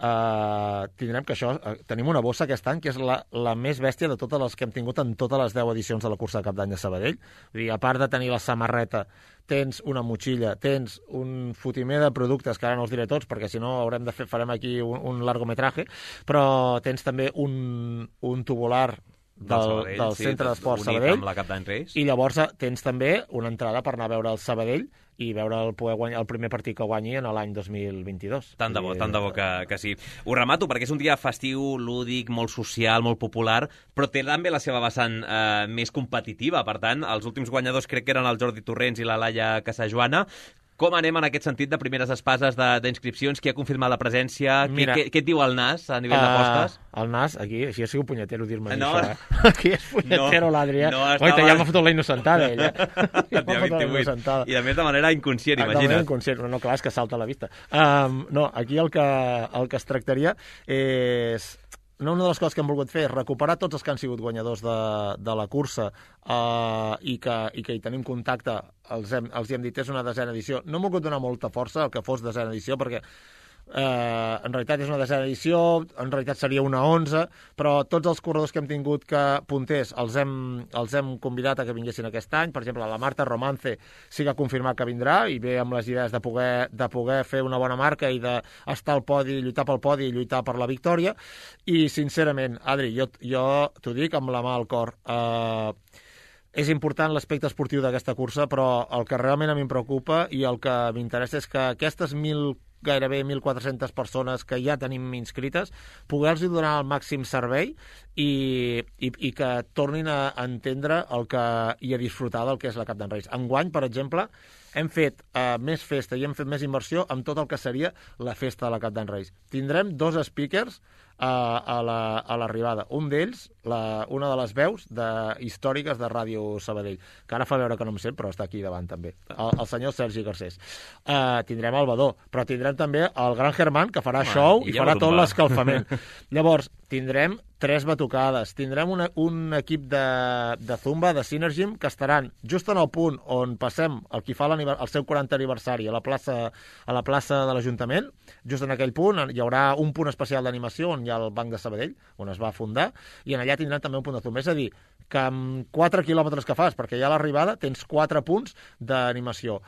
tenim una bossa aquest any que és la més bèstia de totes les que hem tingut en totes les 10 edicions de la cursa de Cap d'Any de Sabadell. Vull dir, a part de tenir la samarreta, tens una motxilla, tens un fotimer de productes, que ara no els diré tots, perquè si no farem aquí un largometraje, però tens també un tubular del Centre d'Esport Sabadell. Amb la Cap d'Any Reis. I llavors tens també una entrada per anar a veure el Sabadell i veure el primer partit que guanyi en l'any 2022. Tant de bo que sí. Ho remato perquè és un dia festiu, lúdic, molt social, molt popular, però té també la seva vessant més competitiva. Per tant, els últims guanyadors crec que eren el Jordi Torrents i la Laia Casajoana. Com anem en aquest sentit de primeres espases d'inscripcions? Qui ha confirmat la presència? Què et diu el NAS a nivell d'apostes? El NAS, aquí, així ha sigut punyeter dir-me això. Aquí és punyeter l'Adrià. Ja m'ha fotut la innocentada, ella. Ja m'ha fotut la innocentada. I a més de manera inconscient, imagina't. De manera inconscient, no, clar, és que salta a la vista. No, aquí el que es tractaria és... Una de les coses que hem volgut fer és recuperar tots els que han sigut guanyadors de la cursa i que hi tenim contacte, els hem dit, és una 10a edició. No hem volgut donar molta força al que fos 10a edició, perquè en realitat és una 10a edició, en realitat seria una 11, però tots els corredors que hem tingut que punters els hem convidat a que vinguessin aquest any. Per exemple, la Marta Romance sí que ha confirmat que vindrà i ve amb les idees de poder fer una bona marca i d'estar al podi, lluitar pel podi i lluitar per la victòria. I sincerament, Adri, jo t'ho dic amb la mà al cor, és important l'aspecte esportiu d'aquesta cursa, però el que realment a mi em preocupa i el que m'interessa és que aquestes gairebé 1.400 persones que ja tenim inscrites, poder-los donar el màxim servei i que tornin a entendre i a disfrutar del que és la Cap d'en Reis. Enguany, per exemple, hem fet més festa i hem fet més inversió amb tot el que seria la festa de la Cap d'en Reis. Tindrem 2 speakers a l'arribada. Un d'ells, una de les veus històriques de Ràdio Sabadell, que ara fa veure que no em sent, però està aquí davant també, el senyor Sergi Garcés. Tindrem el Badó, però tindrem també el Gran Germán, que farà show i farà tot l'escalfament. Llavors, tindrem 3 batucades, tindrem un equip de Zumba, de Synergym, que estaran just en el punt on passem el qui fa el seu 40 aniversari a la plaça de l'Ajuntament. Just en aquell punt hi haurà un punt especial d'animació on hi ha el Banc de Sabadell, on es va fundar, i en allà tindran també un punt de Zumba. És a dir, que amb 4 quilòmetres que fas, perquè ja a l'arribada tens 4 punts d'animació.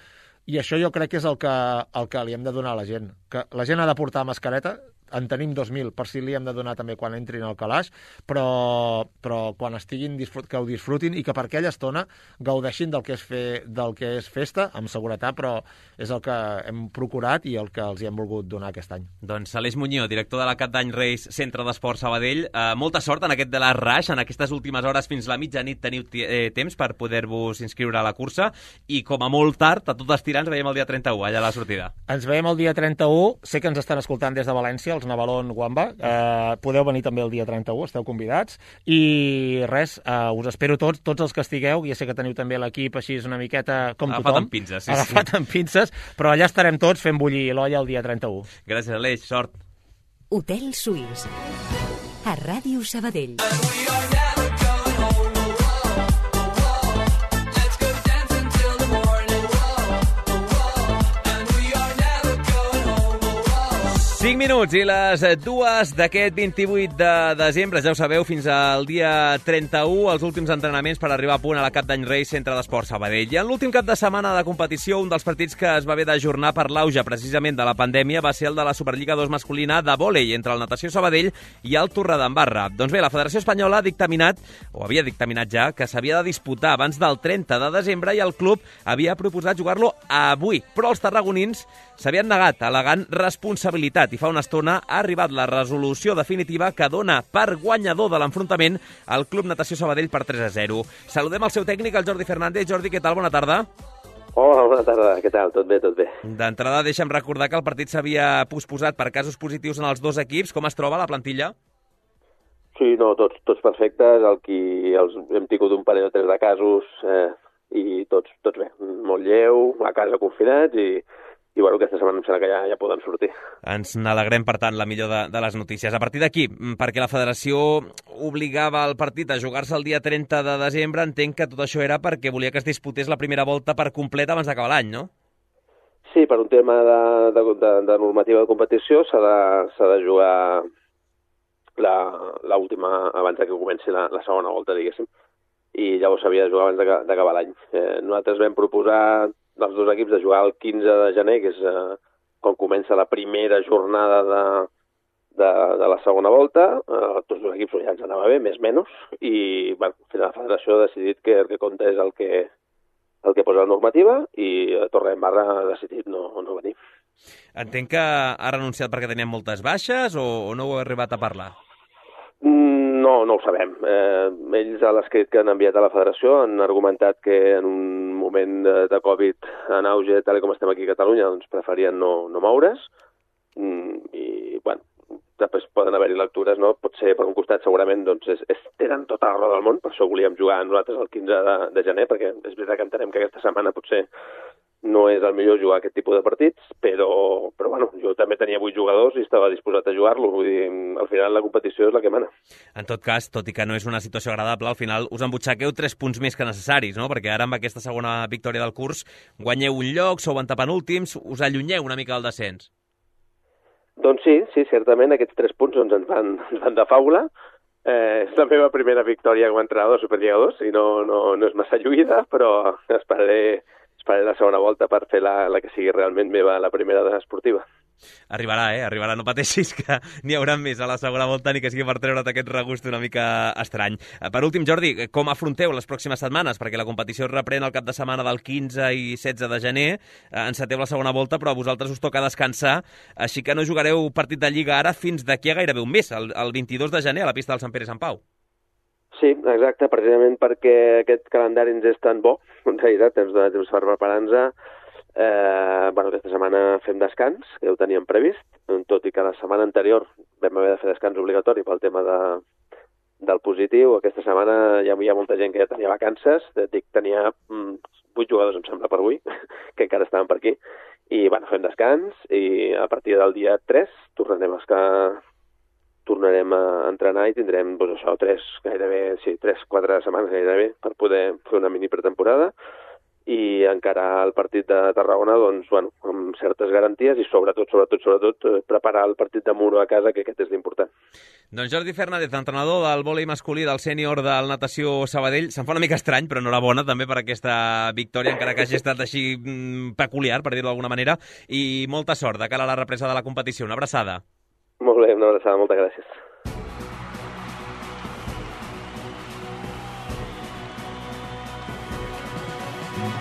I això jo crec que és el que li hem de donar a la gent. Que la gent ha de portar mascareta, en tenim 2.000, per si li hem de donar també quan entrin al calaix, però quan estiguin, que ho disfrutin i que per aquella estona gaudeixin del que és festa, amb seguretat, però és el que hem procurat i el que els hi hem volgut donar aquest any. Doncs Aleix Muñoz, director de la Cap d'Any Reis, Centre d'Esport Sabadell, molta sort en aquest de la Rush, en aquestes últimes hores fins la mitjanit teniu temps per poder-vos inscriure a la cursa i com a molt tard, a tot estirar, ens veiem el dia 31, allà a la sortida. Ens veiem el dia 31, sé que ens estan escoltant des de València, els Navalon Guamba, podeu venir també el dia 31, esteu convidats, i res, us espero tots els que estigueu, ja sé que teniu també l'equip així una miqueta com tothom. Agafat amb pinces, Agafat amb pinces, però allà estarem tots fent bullir l'olla el dia 31. Gràcies, Aleix, sort. Hotel Suís, a Ràdio Sabadell. 5 minuts i les 2 d'aquest 28 de desembre, ja ho sabeu, fins al dia 31, els últims entrenaments per arribar a punt a la Cap d'Any Reis, Centre d'Esport Sabadell. I en l'últim cap de setmana de competició, un dels partits que es va haver d'ajornar per l'auge precisament de la pandèmia va ser el de la Superliga 2 masculina de vòlei entre el Natació Sabadell i el Torredembarra. Doncs bé, la Federació Espanyola ha dictaminat, o havia dictaminat ja, que s'havia de disputar abans del 30 de desembre i el club havia proposat jugar-lo avui. Però els tarragonins s'havien negat, al·legant responsabilitat, i fa una estona ha arribat la resolució definitiva que dona per guanyador de l'enfrontament al Club Natació Sabadell per 3-0. Saludem el seu tècnic, el Jordi Fernández. Jordi, què tal? Bona tarda. Hola, bona tarda. Què tal? Tot bé, tot bé. D'entrada, deixa'm recordar que el partit s'havia posposat per casos positius en els 2 equips. Com es troba la plantilla? Sí, no, tots perfectes. Hem tingut un parell o 3 de casos i tots bé. Molt lleu, a casa confinats i bueno, aquesta setmana em sembla que ja poden sortir. Ens n'alegrem, per tant, la millor de les notícies. A partir d'aquí, perquè la federació obligava el partit a jugar-se el dia 30 de desembre, entenc que tot això era perquè volia que es disputés la primera volta per complet abans d'acabar l'any, no? Sí, per un tema de normativa de competició s'ha de jugar l'última abans que comenci la segona volta, diguéssim, i llavors s'havia de jugar abans d'acabar l'any. Nosaltres vam proposar dels 2 equips de jugar el 15 de gener, que és quan comença la primera jornada de la segona volta, tots els equips ja ens anava bé, més o menys, i bueno, al final la federació ha decidit que el que compta és el que posa la normativa i Torredembarra ha decidit no venir. Entenc que ha renunciat perquè tenien moltes baixes o no ho ha arribat a parlar? No ho sabem. Ells a l'escrit que han enviat a la federació han argumentat que en un moment de Covid en auge, tal com estem aquí a Catalunya, doncs preferien no moure's i, bueno, després poden haver-hi lectures, no? Potser per un costat segurament doncs, tenen tota la roda del món, per això volíem jugar nosaltres el 15 de gener, perquè és veritat que entenem que aquesta setmana potser no és el millor jugar aquest tipus de partits, però bueno, jo també tenia 8 jugadors i estava disposat a jugar-lo, vull dir, al final la competició és la que mana. En tot cas, tot i que no és una situació agradable, al final us embutxaqueu 3 punts més que necessaris, no? Perquè ara amb aquesta segona victòria del curs guanyeu un lloc, sou antepenúltims, us allunyeu una mica del descens. Doncs sí, certament aquests 3 punts ens van de faula. És la meva primera victòria com a entrenador de Superliga 2 i no és massa lluïda, però esperaré la segona volta per fer la que sigui realment meva, la primera esportiva. Arribarà, arribarà, no pateixis, que n'hi haurà més a la segona volta, ni que sigui per treure't aquest regust una mica estrany. Per últim, Jordi, com afronteu les pròximes setmanes? Perquè la competició es reprèn el cap de setmana del 15 i 16 de gener, enceteu la segona volta, però a vosaltres us toca descansar, així que no jugareu partit de Lliga ara fins d'aquí a gairebé un mes, el 22 de gener, a la pista del Sant Pere i Sant Pau. Sí, exacte, precisament perquè aquest calendari ens és tan bo, en realitat ens dona temps per preparar-nos. Aquesta setmana fem descans, que ja ho teníem previst, tot i que la setmana anterior vam haver de fer descans obligatori pel tema del positiu. Aquesta setmana ja hi ha molta gent que ja tenia vacances, tenia 8 jugadors, em sembla, per avui, que encara estaven per aquí, i fem descans, i a partir del dia 3 tornarem a entrenar i tindrem 3-4 setmanes gairebé per poder fer una mini pretemporada i encarar el partit de Tarragona amb certes garanties i sobretot preparar el partit de Muro a casa, que aquest és l'important. Doncs Jordi Fernández, entrenador del vòlei masculí del sènior del Natació Sabadell, se'n fa una mica estrany, però enhorabona també per aquesta victòria, encara que hagi estat així peculiar, per dir-ho d'alguna manera, i molta sort de cara a la represa de la competició. Una abraçada. Molt bé, una abraçada, moltes gràcies.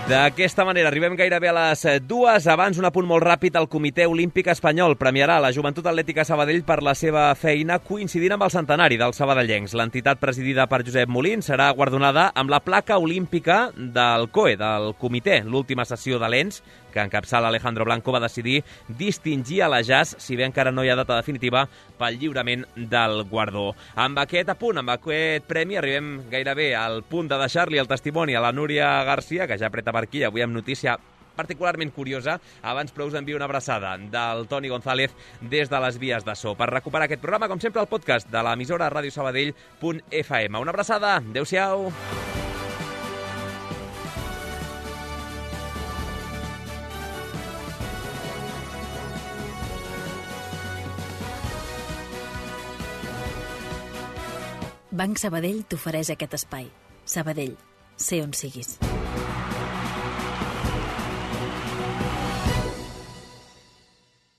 D'aquesta manera arribem gairebé a les 2. Abans, un apunt molt ràpid. El Comitè Olímpic Espanyol premiarà la Joventut Atlètica Sabadell per la seva feina coincidint amb el centenari dels sabadellencs. L'entitat presidida per Josep Molins serà guardonada amb la placa olímpica del COE, del comitè. L'última sessió de l'ENS, que encapçala Alejandro Blanco, va decidir distingir a la JAS, si bé encara no hi ha data definitiva, pel lliurament del guardó. Amb aquest apunt, amb aquest premi, arribem gairebé al punt de deixar-li el testimoni a la Núria Garcia, que ja apreta per aquí, avui amb notícia particularment curiosa. Abans, però, us envio una abraçada del Toni González des de les vies de so. Per recuperar aquest programa, com sempre, el podcast de l'emissora radiosabadell.fm. Una abraçada. Adéu-siau. Banc Sabadell t'ofereix aquest espai. Sabadell, sé on siguis.